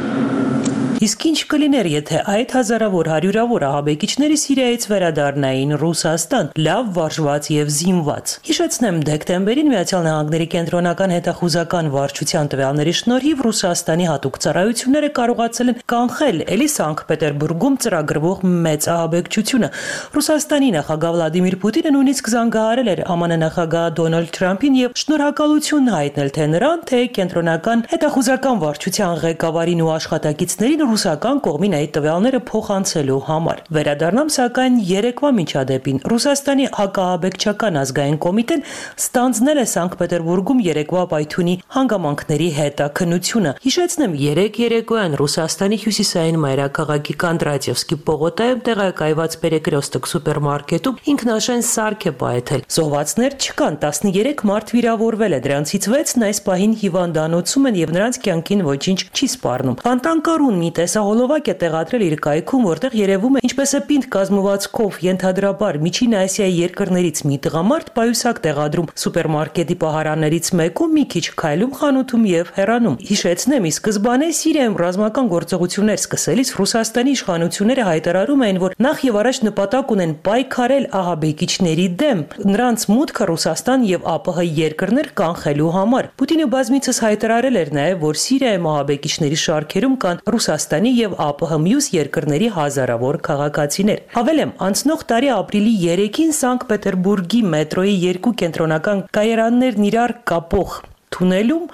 Իսկ ինչ կլիներ, եթե այդ հազարավոր հարյուրավոր ահաբեկիչները Սիրիայից վերադառնային Ռուսաստան, լավ վարժված եւ զինված։ Հիշեցնեմ, դեկտեմբերին Միացյալ Նահանգների կենտրոնական հետախուզական վարչության տվյալների շնորհիվ Ռուսաստանի հատուկ ծառայությունները կարողացել են կանխել էլի Սանկտ Պետերբուրգում ծրագրվող մեծ ահաբեկչությունը։ Ռուսաստանի նախագահ Վլադիմիր Պուտինը նույնիսկ զանգահարել էր ԱՄՆ նախագահ Դոնալդ Թրամփին եւ շնորհակալություն հայտնել թե նրան, թե կենտրոնական հետախուզական վարչության ղեկավարին ու աշխատակիցներին ռուսական կողմին այդ տվյալները փոխանցելու համար։ Վերադառնամ սակայն երեկվա միջադեպին Ռուսաստանի հակաահաբեկչական ազգային կոմիտեն ստանձնել է Սանկտ Պետերբուրգում երեկվա պայթյունի հանգամանքների հետաքննությունը։ Հիշեցնեմ, երեք երեկոյան Ռուսաստանի հյուսիսային մայրաքաղաքի Կանդրատևսկի պողոտայում տեղակայված Պերեկրեստոկ սուպերմարկետում ինքնաշեն սարք է պայթել։ Զոհվածներ չկան, տասներեք մարդ վիրավորվել է, դրանցից վեցն այս պահին հիվանդանոցում են եւ նրանց կյանքին ոչինչ չի սպառնում։ Ֆանտանկարուն մի տեսահոլովակ է տեղադրել իր կայքում, որտեղ երևում է ինչպես է պինդ կազմվածքով ենթադրաբար Միջին Ասիայի երկրներից մի տղամարդ պայուսակ տեղադրում սուպերմարկետի պահարաններից մեկում, մի քիչ քայլում խանութում եւ հեռանում։ Հիշեցնեմ, ի սկզբանե Սիրիայում ռազմական գործողություններ սկսելիս Ռուսաստանի իշխանությունները հայտարարում էին, որ նախ եւ առաջ նպատակ ունեն պայքարել ահաբեկիչների դեմ, նրանց մուտքը Ռուսաստան եւ ԱՊՀ երկրներ կանխելու համար։ Պուտինը բազմիցս հայտարարել էր նաեւ, որ Սիրիայում ահաբեկիչների շարքերում կան Ռուսաստանի եւ ԱՊՀ մյուս երկրների հազարավոր քաղաքացիներ։ Հավելեմ, անցնող տարի ապրիլի երեքին Սանկտ Պետերբուրգի մետրոյի երկու կենտրոնական կայարաններն իրար կապող թունելում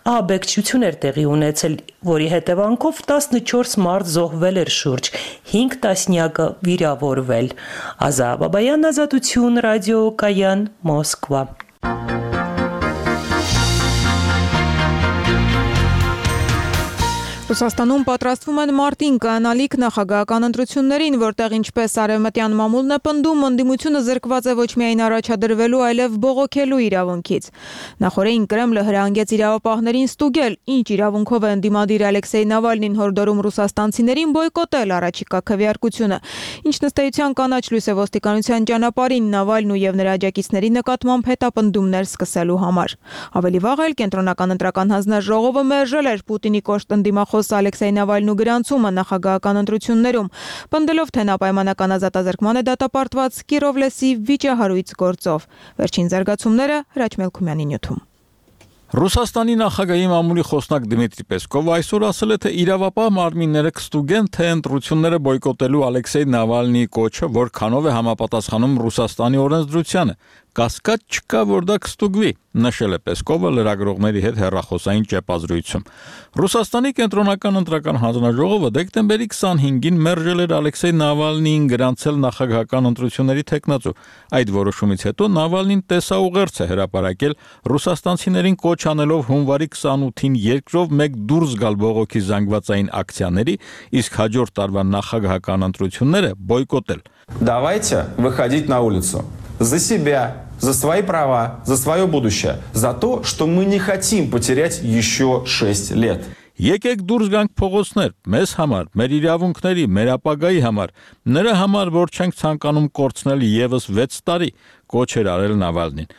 ահաբեկչություն էր տեղի ունեցել, որի հետևանքով տասնչորս մարդ զոհվել էր, շուրջ հինգ տասնյակը վիրավորվել։ Ազա Բաբայան, Ազատություն, ռադիոկայան, Մոսկվա։ Ռուսաստանում պատրաստվում են մարտին կանալիք նախագահական ընտրություններին, որտեղ ինչպես արևմտյան մամուլն է պնդում, ընդդիմությունը զրկված է ոչ միայն առաջադրվելու, այլև բողոքելու իրավունքից։ Նախորդին Կրեմլը հրահանգեց իրավապահներին ստուգել, ինչ իրավունքով է ընդդիմադիր Ալեքսեյ Նավալնին հորդորում ռուսաստանցիներին բոյկոտել առաջիկա քվեարկությունը։ Ինչ ըստ էության կանաչ լույս է ոստիկանության ճանապարհին Նավալն ու եւ նրա աջակիցների նկատմամբ հետապնդումներ սկսելու համար։ Ավելի վաղ էլ կենտրոնական ընտրական հանձնաժողովը մերժել էր Պուտինի կոշտ ընդդիմախոս Ալեքսեյ Նավալնու գրանցումը նախագահական ընտրություններում, պնդելով, թե նա պայմանական ազատազրկման է դատապարտված Կիրովլեսի վիճահարույց գործով։ Վերջին զարգացումները Հրաչ Մելքումյանի նյութում։ Ռուսաստանի նախագահի մամուլի խոսնակ Դմիտրի Պեսկովը այսօր ասել է, թե իրավապահ մարմինները կստուգեն, թե ընտրությունները բոյկոտելու Ալեքսեյ Նավալնիի կոչը որքանով է համապատասխանում Ռուսաստանի օրենսդրությանը։ Կասկած չկա, որ դա կստուգվի, նշել է Պեսկովը լրագրողների հետ հեռախոսային ճեպազրույցում։ Ռուսաստանի կենտրոնական ընտրական հանձնաժողովը դեկտեմբերի քսանհինգին մերժել էր Ալեքսեյ Նավալնիին գրանցել նախագահական ընտրությունների թեկնածու։ Այդ որոշումից հետո Նավալնին տեսաուղերձ է հրապարակել ռուսաստանցիներին կոչ անելով հունվարի քսանութին երկրով մեկ դուրս գալ բողոքի զանգվածային ակցիաների, իսկ հաջորդ տարվա նախագահական ընտրությունները բոյկոտել։ Давайте выходить на улицу за себя, за свои права, за свое будущее, за то, что мы не хотим потерять еще шесть лет. Եկեք դուրս գանք փողոցներ, մեզ համար, մեր իրավունքների, մեր ապագայի համար, նրա համար, որ չենք ցանկանում կորցնել եւս վեց տարի, կոչ էր արել Նավալնին։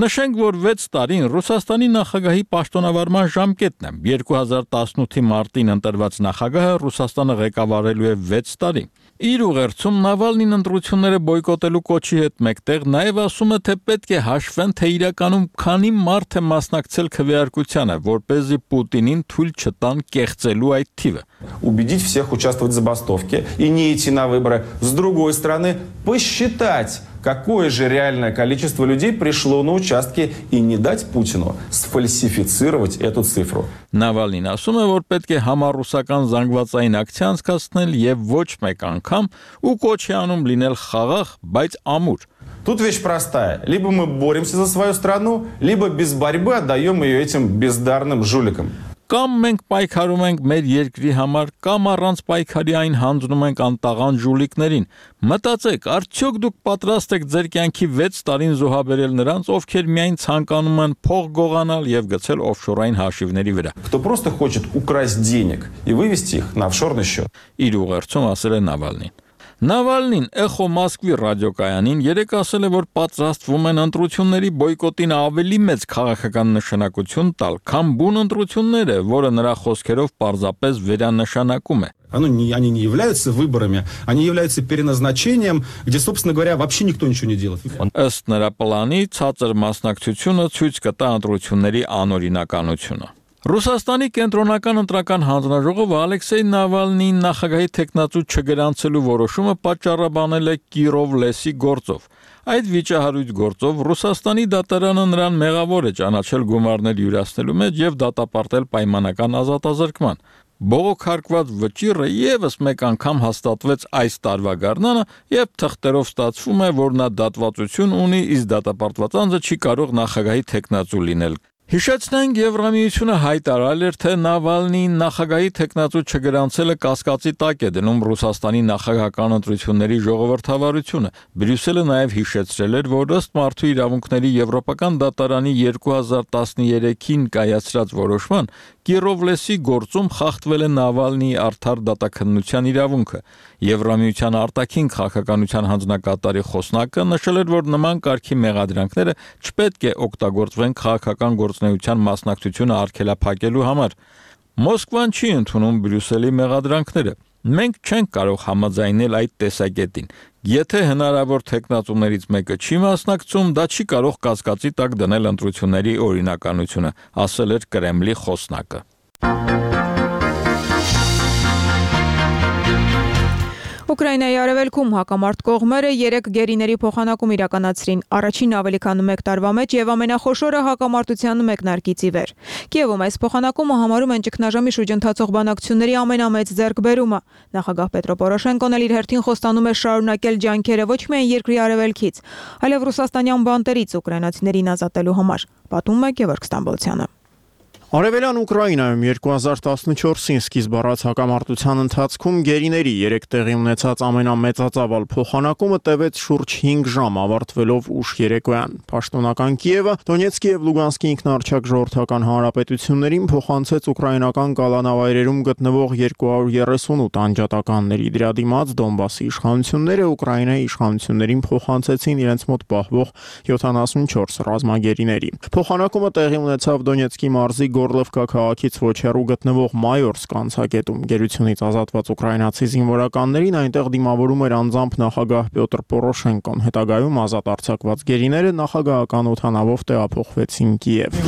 Նշենք, որ վեց տարին Ռուսաստանի նախագահի պաշտոնավարման ժամկետն է։ երկու հազար տասնութի մարտին ընտրված նախագահը Ռուսաստանը ղեկավարելու է վեց տարի։ Իր ուղերձում Նավալնին ընտրությունները բոյկոտելու կոչի հետ մեկտեղ նաև ասում է, թե պետք է հաշվեն, թե իրականում քանի մարդ է մասնակցել քվեարկությանը, որպեսզի Պուտինին թույլ չտան կեղծելու այդ թիվը։ Убедить всех участвовать в забастовке и не идти на выборы. С другой стороны, посчитать, какое же реальное количество людей пришло на участки и не дать Путину сфальсифицировать эту цифру. Նավալնին ասում է, որ պետք է համառուսական զանգվածային ակցիա անցկացնել եւ ոչ մեկ անգամ ու կոչ է անում լինել խաղաղ, բայց ամուր։ Тут вещь простая. Либо мы боремся за свою страну, либо без борьбы отдаем ее этим бездарным жуликам. Կամ մենք պայքարում ենք մեր երկրի համար, կամ առանց պայքարի այն հանձնում ենք անտաղան ժուլիկներին։ Մտածեք, արդյոք դուք պատրաստ եք ձեր կյանքի վեց տարին զոհաբերել նրանց, ովքեր միայն ցանկանում են փող գողանալ եւ գցել օֆշորային հաշիվների վրա։ Кто просто хочет украсть денег и вывести их на офшорный счет. Իր ուղերձում ասել է Նավալնին։ Նավալնին Էխո Մոսկվի ռադիոկայանին երեկ ասել է, որ պատրաստվում են ընտրությունների բոյկոտին ավելի մեծ քաղաքական նշանակություն տալ, քան բուն ընտրությունները, որը նրա խոսքերով պարզապես վերանշանակում է։ Оно не, они не являются выборами, они являются переназначением, где, собственно говоря, вообще никто ничего не делает. Ըստ նրա պլանի ցածր մասնակցությունը ցույց կտա ընտրությունների անօրինականությունը։ Ռուսաստանի կենտրոնական ընտրական հանձնաժողովը Ալեքսեյ Նավալնիին նախագահի թեկնածու չգրանցելու որոշումը պատճառաբանել է Կիրով լեսի գործով։ Այդ վիճահարույց գործով Ռուսաստանի դատարանը նրան մեղավոր է ճանաչել գումարներ յուրացնելու մեջ եւ դատապարտել պայմանական ազատազրկման։ Բողոքարկված վճիռը եւս մեկ անգամ հաստատվեց այս տարվա գարնանը եւ թղթերով ստացվում է, որ նա դատվածություն ունի, իսկ դատապարտված անձը չի կարող նախագահի թեկնածու լինել։ Հիշեցնենք, Եվրամիությունը հայտարարել էր, թե Նավալնիին նախագահի թեկնածու չգրանցելը կասկածի տակ է դնում Ռուսաստանի նախագահական ընտրությունների ժողովրդավարությունը։ Բրյուսելը նաև հիշեցրել էր, որ ըստ Մարդու իրավունքների Եվրոպական դատարանի երկու հազար տասներեքին կայացրած որոշման Կիրովլեսի գործում խախտվել է Նավալնիի արդար դատաքննության իրավունքը։ Եվրամիության արտաքին քաղաքականության հանձնակատարի խոսնակը նշել էր, որ նման կարգի մեղադրանքները չպետք է օգտագործվեն քաղաքական գործունեության մասնակցությունը արգելափակելու համար։ Մոսկվան չի ընդունում Բրյուսելի մեղադրանքները։ Մենք չենք կարող համաձայնել այդ տեսակետին։ Եթե հնարավոր թեկնածուներից մեկը չի մասնակցում, դա չի կարող կասկածի տակ դնել ընտրությունների օրինականությունը, ասել էր Կրեմլի խոսնակը։ Ուկրաինայի արևելքում հակամարտ կողմերը երեք գերիների փոխանակում իրականացրին, առաջին ավելի քան մեկ տարվա մեջ եւ ամենախոշորը հակամարտության մեկնարկից ի վեր։ Կիևում այս փոխանակումը համարում են ճգնաժամի շուրջ ընթացող բանակցությունների ամենամեծ ձեռքբերումը։ Նախագահ Պետրո Պորոշենկոն էլ իր հերթին խոստանում է շարունակել ջանքերը ոչ միայն երկրի արևելքից, այլև ռուսաստանյան բանտերից ուկրաինացիներին ազատելու համար, պատմում է Գևորգ Ստամբոլցյանը։ Արևելյան Ուկրաինայում երկու հազար տասնչորսին սկիզբ առած հակամարտության ընթացքում գերիների երեք տեղի ունեցած ամենամեծածավալ փոխանակումը տևեց շուրջ հինգ ժամ, ավարտվելով ուշ երեկոյան։ Պաշտոնական Կիևը Դոնեցկի եւ Լուգանսկի ինքնարչակ ժողովրդական հանրապետություններին փոխանցեց ուկրաինական կալանավայրերում գտնվող երկու հարյուր երեսունութ անջատականների։ Դրա դիմաց Դոնբասի իշխանությունները Ուկրաինայի իշխանություններին փոխանցեցին իրենց մոտ պահվող յոթանասունչորս ռազմագերիների։ Փոխանակումը տեղի ունեցավ Դոնեցկի մարզի Գորլովկա քաղաքից ոչ հեռու գտնվող Մայորսկ անցակետում։ Գերությունից ազատված ուկրաինացի զինվորականներին այնտեղ դիմավորում էր անձամբ նախագահ Պյոտր Պորոշենկոն։ Հետագայում ազատ արձակված գերիները նախագահական օդանավով տեղափոխվեցին Կիև։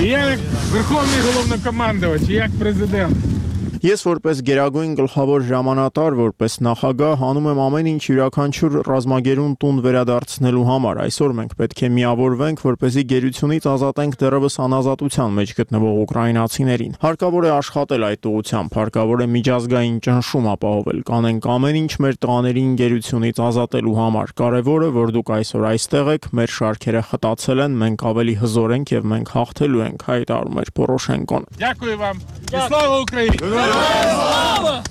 Ես որպես գերագույն գլխավոր հրամանատար, որպես նախագահ հանում եմ ամեն ինչ յուրաքանչյուր ռազմագերուն տուն վերադարձնելու համար։ Այսօր մենք պետք է միավորվենք, որպեսզի գերությունից ազատենք դեռևս անազատության մեջ գտնվող ուկրաինացիներին։ Հարկավոր է աշխատել այդ ուղղությամբ, հարկավոր է միջազգային ճնշում ապահովել, կանենք ամեն ինչ մեր տղաներին գերությունից ազատելու համար։ Կարևորը, որ դուք այսօր այստեղ եք, մեր շարքերը խտացել են, մենք ավելի հզոր ենք եւ մենք հաղթելու ենք, հայտարարում էր Պորոշենկոն։ Слава Украине!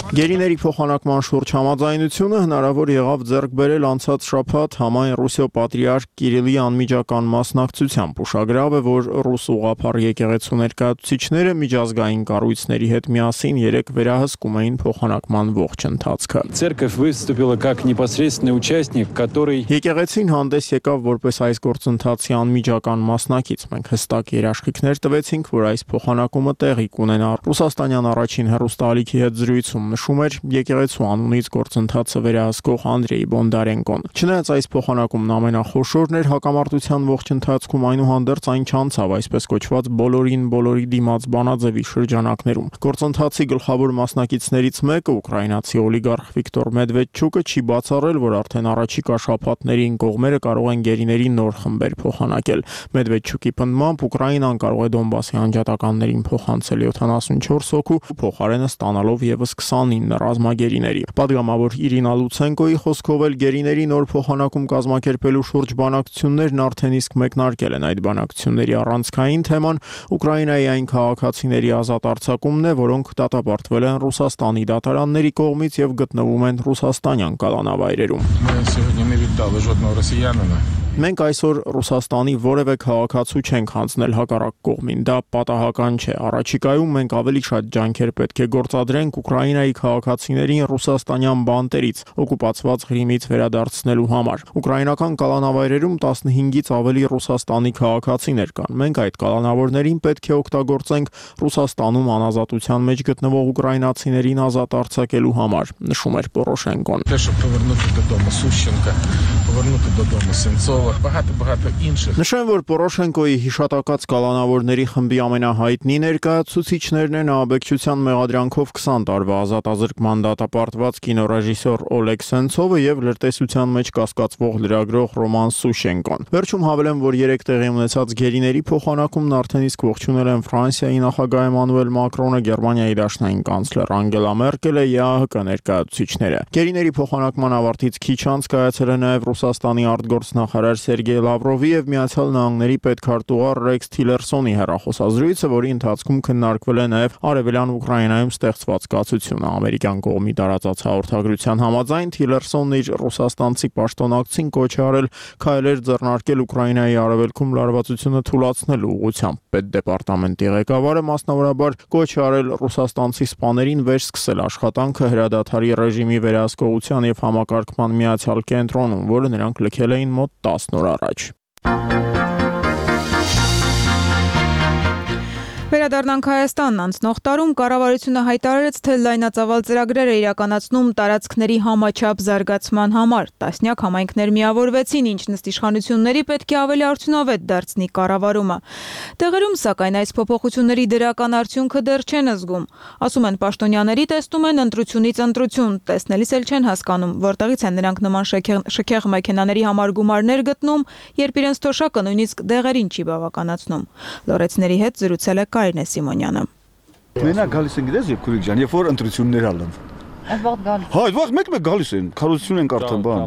Գերիների փոխանակման շուրջ համաձայնությունը հնարավոր եղավ ձեռք բերել անցած շաբաթ համայն Ռուսիո պատրիարք Կիրիլի անմիջական մասնակցությամբ։ Ուշագրավ է, որ ռուս ուղղափառ եկեղեցու ներկայացուցիչները միջազգային կառույցների հետ միասին երեք վերահսկում էին փոխանակման ողջ ընթացքը։ Церковь выступила как непосредственный участник, который Եկեղեցին հանդես եկավ որպես այս գործընթացի անմիջական մասնակից։ Մենք հստակ երաշխիքներ տվեցինք, որ այս փոխանակումը տեղի կունենա։ Ռուսաստանյան առաջին հեռուստաալիքի հետ զրույցում նշում էր եկեղեցու անունից գործընթացը վերահսկող Անդրեյ Բոնդարենկոն։ Չնայած այս փոխանակումն ամենախոշորն էր հակամարտության ողջ ընթացքում, այնուհանդերձ այն չանցավ այսպես կոչված բոլորին բոլորի դիմաց բանաձևի շրջանակներում։ Գործընթացի գլխավոր մասնակիցներից մեկը ուկրաինացի օլիգարխ Վիկտոր Մեդվեդչուկը չի բացառել, որ արդեն առաջիկա շաբաթներին կողմերը կարող են գերիների նոր խմբեր փոխանակել։ Մեդվեդչուկի պնդմամբ Ուկրաինան կարող է Դոնբասի անջատականներին փոխանցել յոթանասունչորս հոգու, փոխարեն փոխարենը ստանալով եւս քսանինը ռազմագերիների։ Պատգամավոր Իրինա Լուցենկոյի խոսքով էլ գերիների նոր փոխանակում կազմակերպելու շուրջ բանակցություններն արդեն իսկ մեկնարկել են։ Այդ բանակցությունների առանցքային թեման Ուկրաինայի այն քաղաքացիների ազատ արձակումն է, որոնք դատապարտվել են Ռուսաստանի դատարանների կողմից եւ գտնվում են ռուսաստանյան կալանավայրերում։ Մենք այսօր Ռուսաստանի որևէ քաղաքացու չենք հանձնել հակառակ կողմին, դա պատահական չէ։ Առաջիկայում մենք ավելի շատ ջանքեր պետք է գործադրենք Ուկրաինայի քաղաքացիներին ռուսաստանյան բանտերից, օկուպացված Ղրիմից վերադարձնելու համար։ Ուկրաինական կալանավայրերում տասնհինգից ավելի Ռուսաստանի քաղաքացիներ կան։ Մենք այդ կալանավորներին պետք է օգտագործենք Ռուսաստանում անազատության մեջ գտնվող ուկրաինացիներին ազատ արձակելու համար, նշում էր Պորոշենկոն։ Նշեմ, որ Պորոշենկոյի հիշատակած կալանավորների խմբի ամենահայտնի ներկայացուցիչներն են ահաբեկչության մեղադրանքով քսան տարվա ազատազրկման դատապարտված կինոռեժիսոր Օլեգ Սենցովը եւ լրտեսության մեջ կասկածվող լրագրող Ռոման Սուշենկոն։ Վերջում հավելեմ, որ երեք տեղի ունեցած գերիների փոխանակումն արդեն իսկ ողջունել են Ֆրանսիայի նախագահ Էմանուել Մակրոնը, Գերմանիայի դաշնային կանցլեր Անգելա Մերկելը, ԵԱՀԿ ներկայացուցիչները։ Գերիների փոխանակման ավարտից քիչ անց կայացել է նաեւ Ռուսաստանի արտգործնախարար Սերգեյ Լավրովի եւ Միացյալ Նահանգների պետքարտուղար Ռեքս Թիլերսոնի հեռախոսազրույցը, որի ընթացքում քննարկվել է նաեւ Արևելյան Ուկրաինայում ստեղծված կացությունը։ Ամերիկյան կողմի տարածած հաղորդագրության համաձայն Թիլերսոնն իր ռուսաստանցի պաշտոնակցին կոչ է արել քայլեր ձեռնարկել Ուկրաինայի արևելքում լարվածությունը թուլացնելու ուղղությամբ։ Պետդեպարտամենտի ղեկավարը մասնավորաբար կոչ է արել ռուսաստանցի սպաներին վերսկսել աշխատանքը հրադադարի ռեժիմի վերահսկողության եւ համակարգման միացյալ կենտրոնում, որը նրանք լքել էին մոտ տասն օր առաջ։ Վերադառնանք Հայաստան, անցնող տարում կառավարությունը հայտարարեց, թե լայնածավալ ծրագրեր է իրականացնում տարածքների համաչափ զարգացման համար։ Տասնյակ համայնքներ միավորվեցին, ինչ նստիշխանությունների պետք է ավելի արդյունավետ դարձնի կառավարումը։ Տեղերում, սակայն, այս փոփոխությունների դրական արդյունքը դեռ չեն զգում։ Ասում են պաշտոնյաների, տեսնում են ընտրությունից ընտրություն, տեսնելիս էլ չեն հասկանում, որտեղից են նրանք նման շքեղ մեքենաների համար գումարներ գտնում, երբ իրենց թոշակը նույնիսկ դեղերին չի բավականացնում։ Լորեցների հետ զրուցել է Կարինե Սիմոնյանը։ Մենակ գալիս են գիտես, Քուրիկ ջան, երբ որ ընտրություններ ալն։ Այդ վաղ գալիս։ Հա, այդ վաղ մեկ-մեկ գալիս են, քարոզություն են կարդան բան։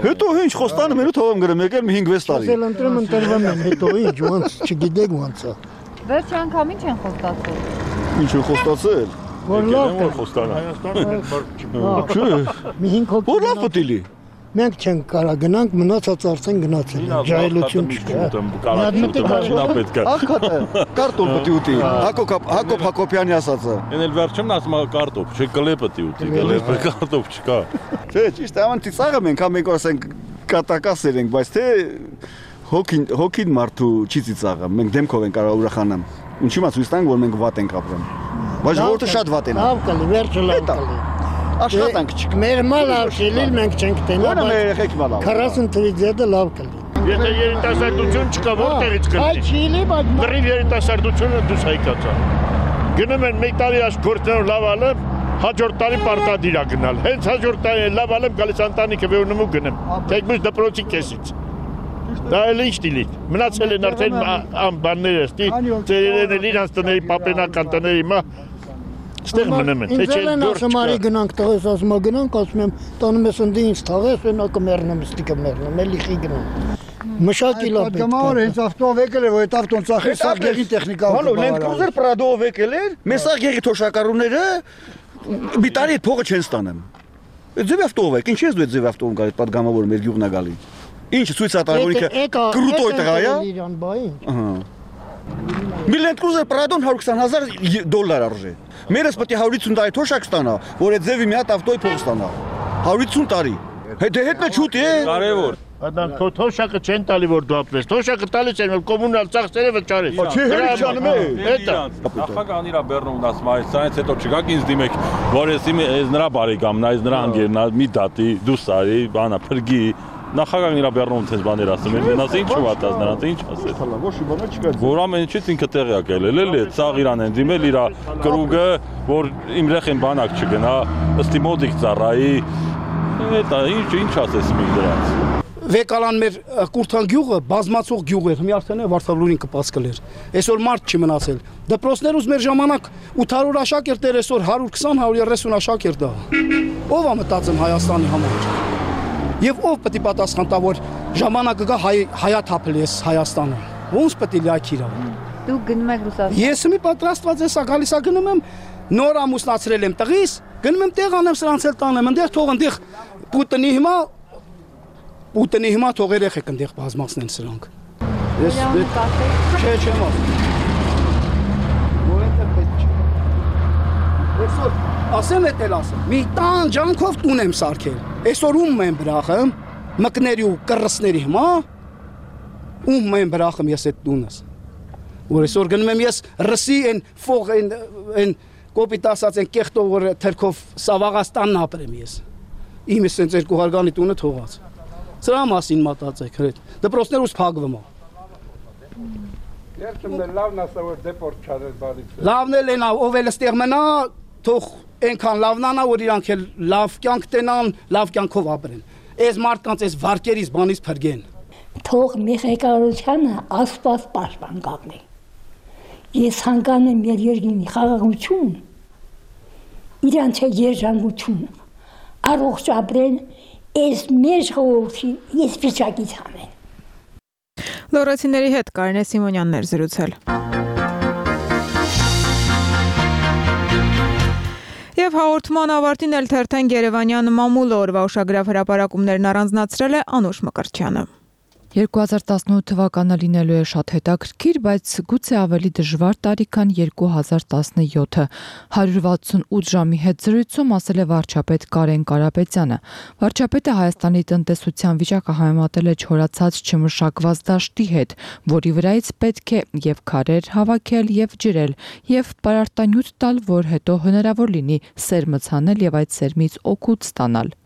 Հետո ինչ խոստանը մենու թողում գրեմ, եկել մի հինգ-վեց տարի։ Ասել ընտրում ընտրվում են, հետո ինչ, ոնց չգիտեք ոնց է։ Վերջի անգամ ինչ են խոստացել։ Ինչ են խոստացել։ Որ լավ է խոստանը։ Հայաստանը։ Մի հինգ հոգի։ Որ լավ պետք է։ Մենք չենք կարա գնանք, մնացած արդեն գնացել են, ջահելություն չկա։ Ակատը, կարտոլ պետք է ուտի, Հակոբ Հակոբյանի ասածը։ Են էլ վերջումն ասում է կարտոփ, չէ կլե պետք է ուտի, կլե կարտոփ չկա։ Չէ, ճիշտ է, ամանտի ծաղը մենք հա մենք ասենք կատակասեր ենք, բայց թե հոգին հոգին մարդու չի ծիծաղը, մենք դեմքով ենք կարող ուրախանամ։ Ինչի՞ մա ցույց տանք, որ մենք վատ ենք ապրում։ Բայց ժողովուրդը շատ վատ են։ Լավ կլի, վերջը լավ կլի։ Աշխատանք չկա։ Մեր մալ ավշիլիլ մենք չենք տենա։ Ո՞րն է մեր երեխեք մալ։ քառասուն թվից հետո լավ կլի։ Եթե երիտասարդություն չկա, որտեղից կլինի։ Այ չիլի, բայց Լրիվ երիտասարդությունը դուս հայկացա։ Գնում են մեկ տարի այս գործերով լավ ալեմ, հաջորդ տարի պարտադիր է գնալ։ Հենց հաջորդ տարի լավ ալեմ, գալիս ընտանիքը վերնում ու գնում։ Թեկուզ դպրոցի կեսից։ Դա էլ ինչ դիլի։ Մնացել են արդեն բանները, ստի ծերերեն էլ իրանց տների պապենական տների մա Ստեղ մնում են, թե չէ դուրս չկա։ Ինձ գնանք տղես ասում գնանք, ասում եմ, տանում ես ընդի ինձ թաղես, ունակը մեռնում, ստիկը մեռնում, էլի խի գնում։ Մշակի լավ պետք է։ Պատգամավոր հենց ավտոով եկել է, որ այդ ավտոն ծախի սաղ գեղի տեխնիկա։ Հալո, Land Cruiser Prado-ով եկել էր, մեր սաղ գեղի թոշակառուները մի տարի այդ փողը չեն ստանում։ Ձև ավտոով եք, ինչ ես դու այդ ձև ավտովում գալի պատգամավորը մեր գյուղն է գալի։ Ինչ ցույց է տալի, որ ինքը կրուտոյ տղա է։ Ահա։ Մի Land Cruiser Prado-ն հարյուր քսան հազար դոլար արժե։ Մերս պետք է հարյուր հիսուն տարի թոշակ ստանա, որ այդ ձևի մի հատ ավտոյի փող ստանա։ հարյուր հիսուն տարի։ Հետո հետն է չուտի է։ Կարևոր։ Այդան թոշակը չեն տալի որ դու ապրես։ Թոշակը տալիս են որ կոմունալ ծախսերը վճարես։ Չէ, հենց չանում է։ Հետո։ Նախագահան իրա բեռնումն ասում է, սրանից հետո չգաք ինձ դիմեք, որ ես իմ ես նրա բարեկամն, այս նրա ընկերն է, մի դատի, դու սարի, բանա, փրկի։ Նախագահն իրա բեռնում թես բաներ ասում են, նրանց ինչ չվատած, նրանց ինչ ասել։ Ոչ մի բան չկա։ Որ ամեն ինչից ինքը տեղյակ է ելել, էլի, ցաղ իրան են դիմել իրա կրուգը, որ իմ երեխեն բանակ չգնա, ըստի մոդիկ ծառայի։ Դա ինչ ինչ ասես մի դրանց։ Վեկալան մեր Կուրթան գյուղը բազմացող գյուղ էր, մի արդեն է Վարդավուրին կպած կլեր։ Այսօր մարդ չի մնացել։ Դպրոցներուց մեր ժամանակ ութ հարյուր աշակերտ էր, այսօր հարյուր քսան հարյուր երեսուն աշակերտ է։ Ո՞վ է մտածում Հայաստանի համար։ Եվ ով պետք է պատասխան տա, որ ժամանակը գա հայաթափել էս Հայաստանը։ Ոնց պետք է լիակիրա։ Դու գնում եք Ռուսաստան։ Ես մի պատրաստված եմ, գալիս ա գնում եմ, նոր ամուսնացրել եմ տղիս, գնում եմ տեղ անեմ սրանց էլ տանեմ, այնտեղ թող այնտեղ Պուտինի հիմա Պուտինի հիմա թող երեխեք այնտեղ բազմացնեն սրանք։ Ես չէ, չեմ ասում։ Որտե պետք չէ։ Այսօր ասեմ էդ էլ ասեմ։ Մի տան ջանքով տուն եմ սարքել։ Այսօր ում եմ բրախում, մկների ու կռսների հիմա ում եմ բրախում ես այդ տունս։ Որ այսօր գնում եմ ես ռսի այն ֆող այն այն կոպիտ ասած այն կեղտով որ թրքով Սավաղաստանն ապրեմ ես։ Իմը սենց երկու հարգանի տունը թողած։ Սրա մասին մտածեք, հրետ։ Դպրոցներուց փակվում է։ Երբեմն լավն ասա որ դեպորտ չարել բարից։ Լավն էլ են, ով էլ ստեղ մնա, թող այնքան լավնանա, որ իրանք էլ լավ կյանք տենան, լավ կյանքով ապրեն։ Այս մարդկանց այս վարկերից բանից փրկեն։ Թող մի ղեկավարությունը Աստված պաշտպան կապնի։ Ես հանգանում եմ մեր երկրի խաղաղություն, իրանց երջանկություն, առողջ ապրեն, այս մեր ժողովրդի ես վիճակից հանեն։ Լոռացիների հետ Կարինե Սիմոնյանն էր զրուցել։ Եվ հաղորդման ավարտին էլ թերթեն Երևանյան մամուլ օրվա ուշագրավ հրապարակումներն առանձնացրել է Անուշ Մկրտչյանը։ երկու հազար տասնութ թվականը լինելու է շատ հետաքրքիր, բայց գուցե ավելի դժվար տարի, քան երկու հազար տասնյոթը։ հարյուր վաթսունութ ժամի հետ զրույցում ասել է վարչապետ Կարեն Կարապետյանը։ Վարչապետը Հայաստանի տնտեսության վիճակը համեմատել է չորացած չմշակված դաշտի հետ, որի վրայից պետք է եւ քարեր հավաքել եւ ջրել, եւ պարարտանյութ տալ, որ հետո հնարավոր լինի սերմը ցանել եւ այդ սերմից օգուտ ստանալ։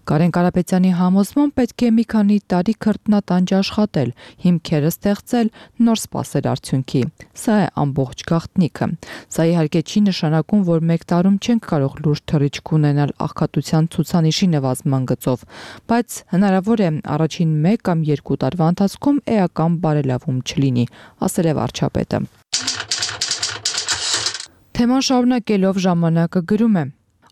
Կարեն Կարապետյանի համոզմամբ պետք է մի քանի տարի քրտնատանջ աշխատել, հիմքերը ստեղծել, նոր սպասել արդյունքի։ Սա է ամբողջ գաղտնիքը։ Սա իհարկե չի նշանակում, որ մեկ տարում չենք կարող լուրջ թռիչք ունենալ աղքատության ցուցանիշի նվազման գծով, բայց հնարավոր է առաջին մեկ կամ երկու տարվա ընթացքում էական բարելավում չլինի, ասել է վարչապետը։ Թեման շարունակելով ժամանակը գրում է.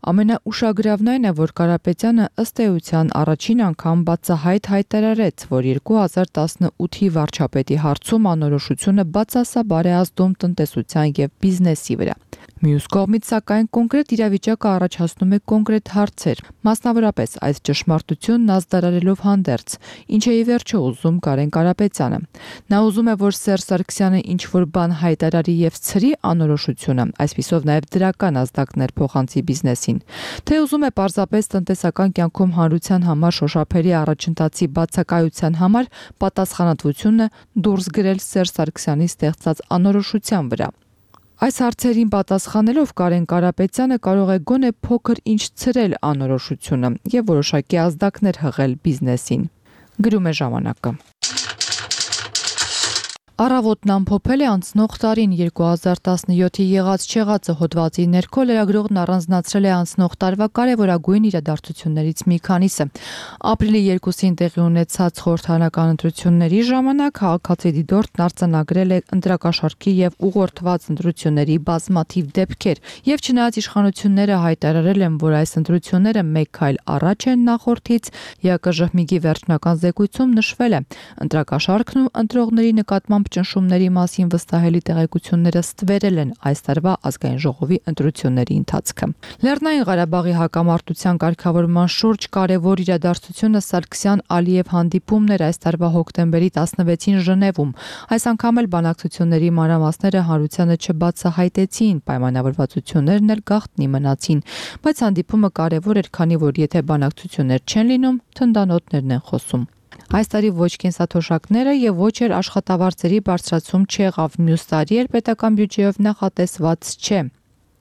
Ամենաուշագրավն այն է, որ Կարապետյանը ըստ էության առաջին անգամ բացահայտ հայտարարեց, որ երկու հազար տասնութի վարչապետի հարցում անորոշությունը բացասաբար է ազդում տնտեսության եւ բիզնեսի վրա։ Մյուս կողմից, սակայն, կոնկրետ իրավիճակը առաջացնում է կոնկրետ հարցեր, մասնավորապես այս ճշմարտությունն ազդարարելով հանդերձ, ինչ է ի վերջո ուզում Կարեն Կարապետյանը։ Նա ուզում է, որ Սերժ Սարգսյանը ինչ-որ բան հայտարարի եւ ցրի անորոշությունը, այսպիսով նաեւ դրական ազդակներ փոխանցի բիզնեսին, թե ուզում է պարզապես տնտեսական կյանքում հանրության համար շոշափերի առաջընթացի բացակայության համար պատասխանատվությունը դուրս գրել Սերժ Սարգսյանի ստեղծած անորոշության վրա։ Այս հարցերին պատասխանելով Կարեն Կարապետյանը կարող է գոնե փոքր ինչ ցրել անորոշությունը եւ որոշակի ազդակներ հղել բիզնեսին։ Գրում է ժամանակը։ Առավոտն ամփոփել է անցնող տարին երկու հազար տասնյոթի եղած չեղածը հոդվածի ներքո լրագրողն առանձնացրել է անցնող տարվա կարևորագույն իրադարձություններից մի քանիսը։ Ապրիլի երկուսին տեղի ունեցած խորհրդարանական ընտրությունների ժամանակ քաղաքացի դիտորդն արձանագրել է ընտրակաշառքի եւ ուղղորդված ընտրությունների բազմաթիվ դեպքեր, եւ չնայած իշխանությունները հայտարարել են, որ այս ընտրությունները մեկ քայլ առաջ են նախորդից, ԵԿԺՀՄԻԳ-ի վերջնական զեկույցում նշվել է ընտրակաշառքն ու ընտրողների նկատմամբ ճնշումների մասին վստահելի տեղեկությունները ստվերել են այս տարվա ազգային ժողովի ընտրությունների ընթացքը։ Լեռնային Ղարաբաղի հակամարտության կարգավորման շուրջ կարևոր իրադարձությունը Սարգսյան-Ալիև հանդիպումն էր այս տարվա հոկտեմբերի տասնվեցին Ժնևում։ Այս անգամ էլ բանակցությունների մանրամասները հանրությանը չբացահայտեցին, պայմանավորվածություններն էլ գաղտնի մնացին, բայց հանդիպումը կարևոր էր, քանի որ եթե բանակցություններ չեն լինում, թնդանոթներն են խոսում։ Այս տարի ոչ կենսաթոշակները եւ ոչ էլ աշխատավարձերի բարձրացում չեղավ, մյուս տարի էլ պետական բյուջեով նախատեսված չէ։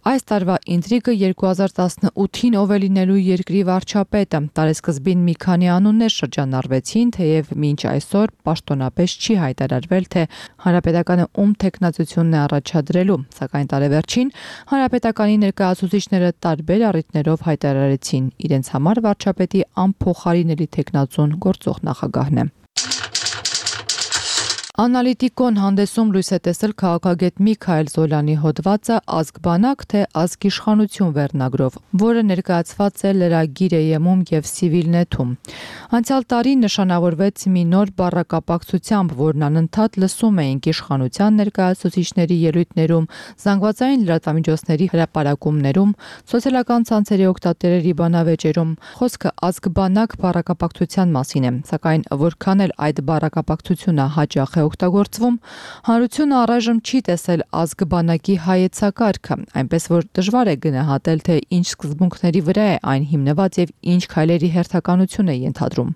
Այս տարվա ինտրիգը երկու հազար տասնութին ով է լինելու երկրի վարչապետը։ Տարեսկզբին մի քանի անուններ շրջանառվեցին, թեև մինչ այսօր պաշտոնապես չի հայտարարվել, թե Հանրապետականը ում թեկնածությունն է առաջադրելու, սակայն տարեվերջին Հանրապետականի ներկայացուցիչները տարբեր առիթներով հայտարարեցին իրենց համար վարչապետի անփոխարինելի թեկնածուն գործող նախագահն է։ Անալիտիկոն հանդեսում լույս է տեսել քաղաքագետ Միքայել Զոլյանի հոդվածը «Ազգ-բանակ, թե ազգիշխանություն» վերնագրով, որը ներկայացված է Լրագիր.am-ում եւ Civilnet-ում։ Անցյալ տարի նշանավորվեց մի նոր բառակապակցությամբ, որն անընդհատ լսում էինք իշխանության ներկայացուցիչների ելույթներում, զանգվածային լրատվամիջոցների հրապարակումներում, սոցիալական ցանցերի օգտատերերի բանավեճերում։ Խոսքը ազգ-բանակ բառակապակցության մասին է, սակայն որքան էլ այդ բառակապակցությունը հաճախ է օգտագործվում, հանրությունը առայժմ չի տեսել ազգ-բանակի հայեցակարգը, այնպես որ դժվար է գնահատել, թե ինչ սկզբունքների վրա է այն հիմնված եւ ինչ քայլերի հերթականություն է ենթադրում։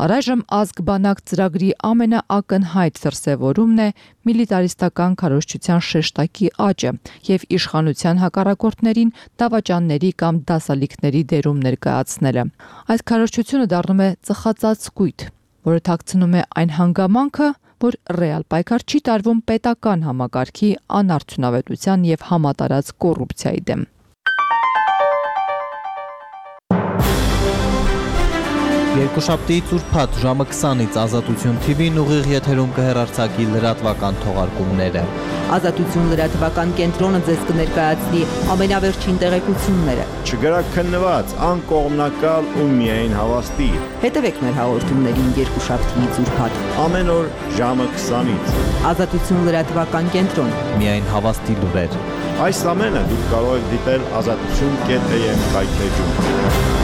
Առայժմ ազգ-բանակ ծրագրի ամենաակնհայտ դրսևորումն է միլիտարիստական քարոզչության շեշտակի աճը եւ իշխանության հակառակորդներին դավաճանների կամ դասալիքների դերում ներկայացնելը։ Այդ քարոզչությունը դառնում է ծխածածկույթ, որը թաքցնում է այն հանգամանքը, որ ռեալ պայքար չի տարվում պետական համակարգի անարդյունավետության եւ համատարած կոռուպցիայի դեմ։ Երկուշաբթիից ուրբաթ ժամը քսանից Ազատություն թի վին ուղիղ եթերում կհեռարձակի լրատվական թողարկումները։ Ազատություն լրատվական կենտրոնը ձեզ կներկայացնի ամենավերջին տեղեկությունները։ Չգրաքննված, անկողմնակալ ու միայն հավաստի։ Հետևեք մեր հաղորդումներին երկուշաբթիից ուրբաթ։ Ամեն օր ժամը քսանից։ Ազատություն լրատվական կենտրոն։ Միայն հավաստի լուրեր։ Այս ամենը դուք կարող եք դիտել ազատություն.am կայքէջում։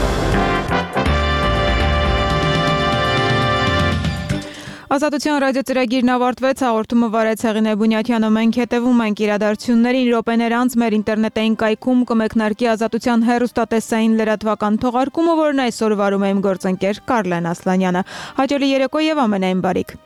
Ազատության ռադիոծրագիրն ավարտվեց, հաղորդումը վարեց Հեղինե Բունյաթյանը, մենք հետևում ենք իրադարձություններին, րոպեներ անց մեր ինտերնետային կայքում կմեկնարկի Ազատության հեռուստատեսային լրատվական թողարկումը, որն այսօր վարում է իմ գործընկեր Կարլեն Ասլանյանը։ Հաջողի երեկո եւ ամենայն բարիք։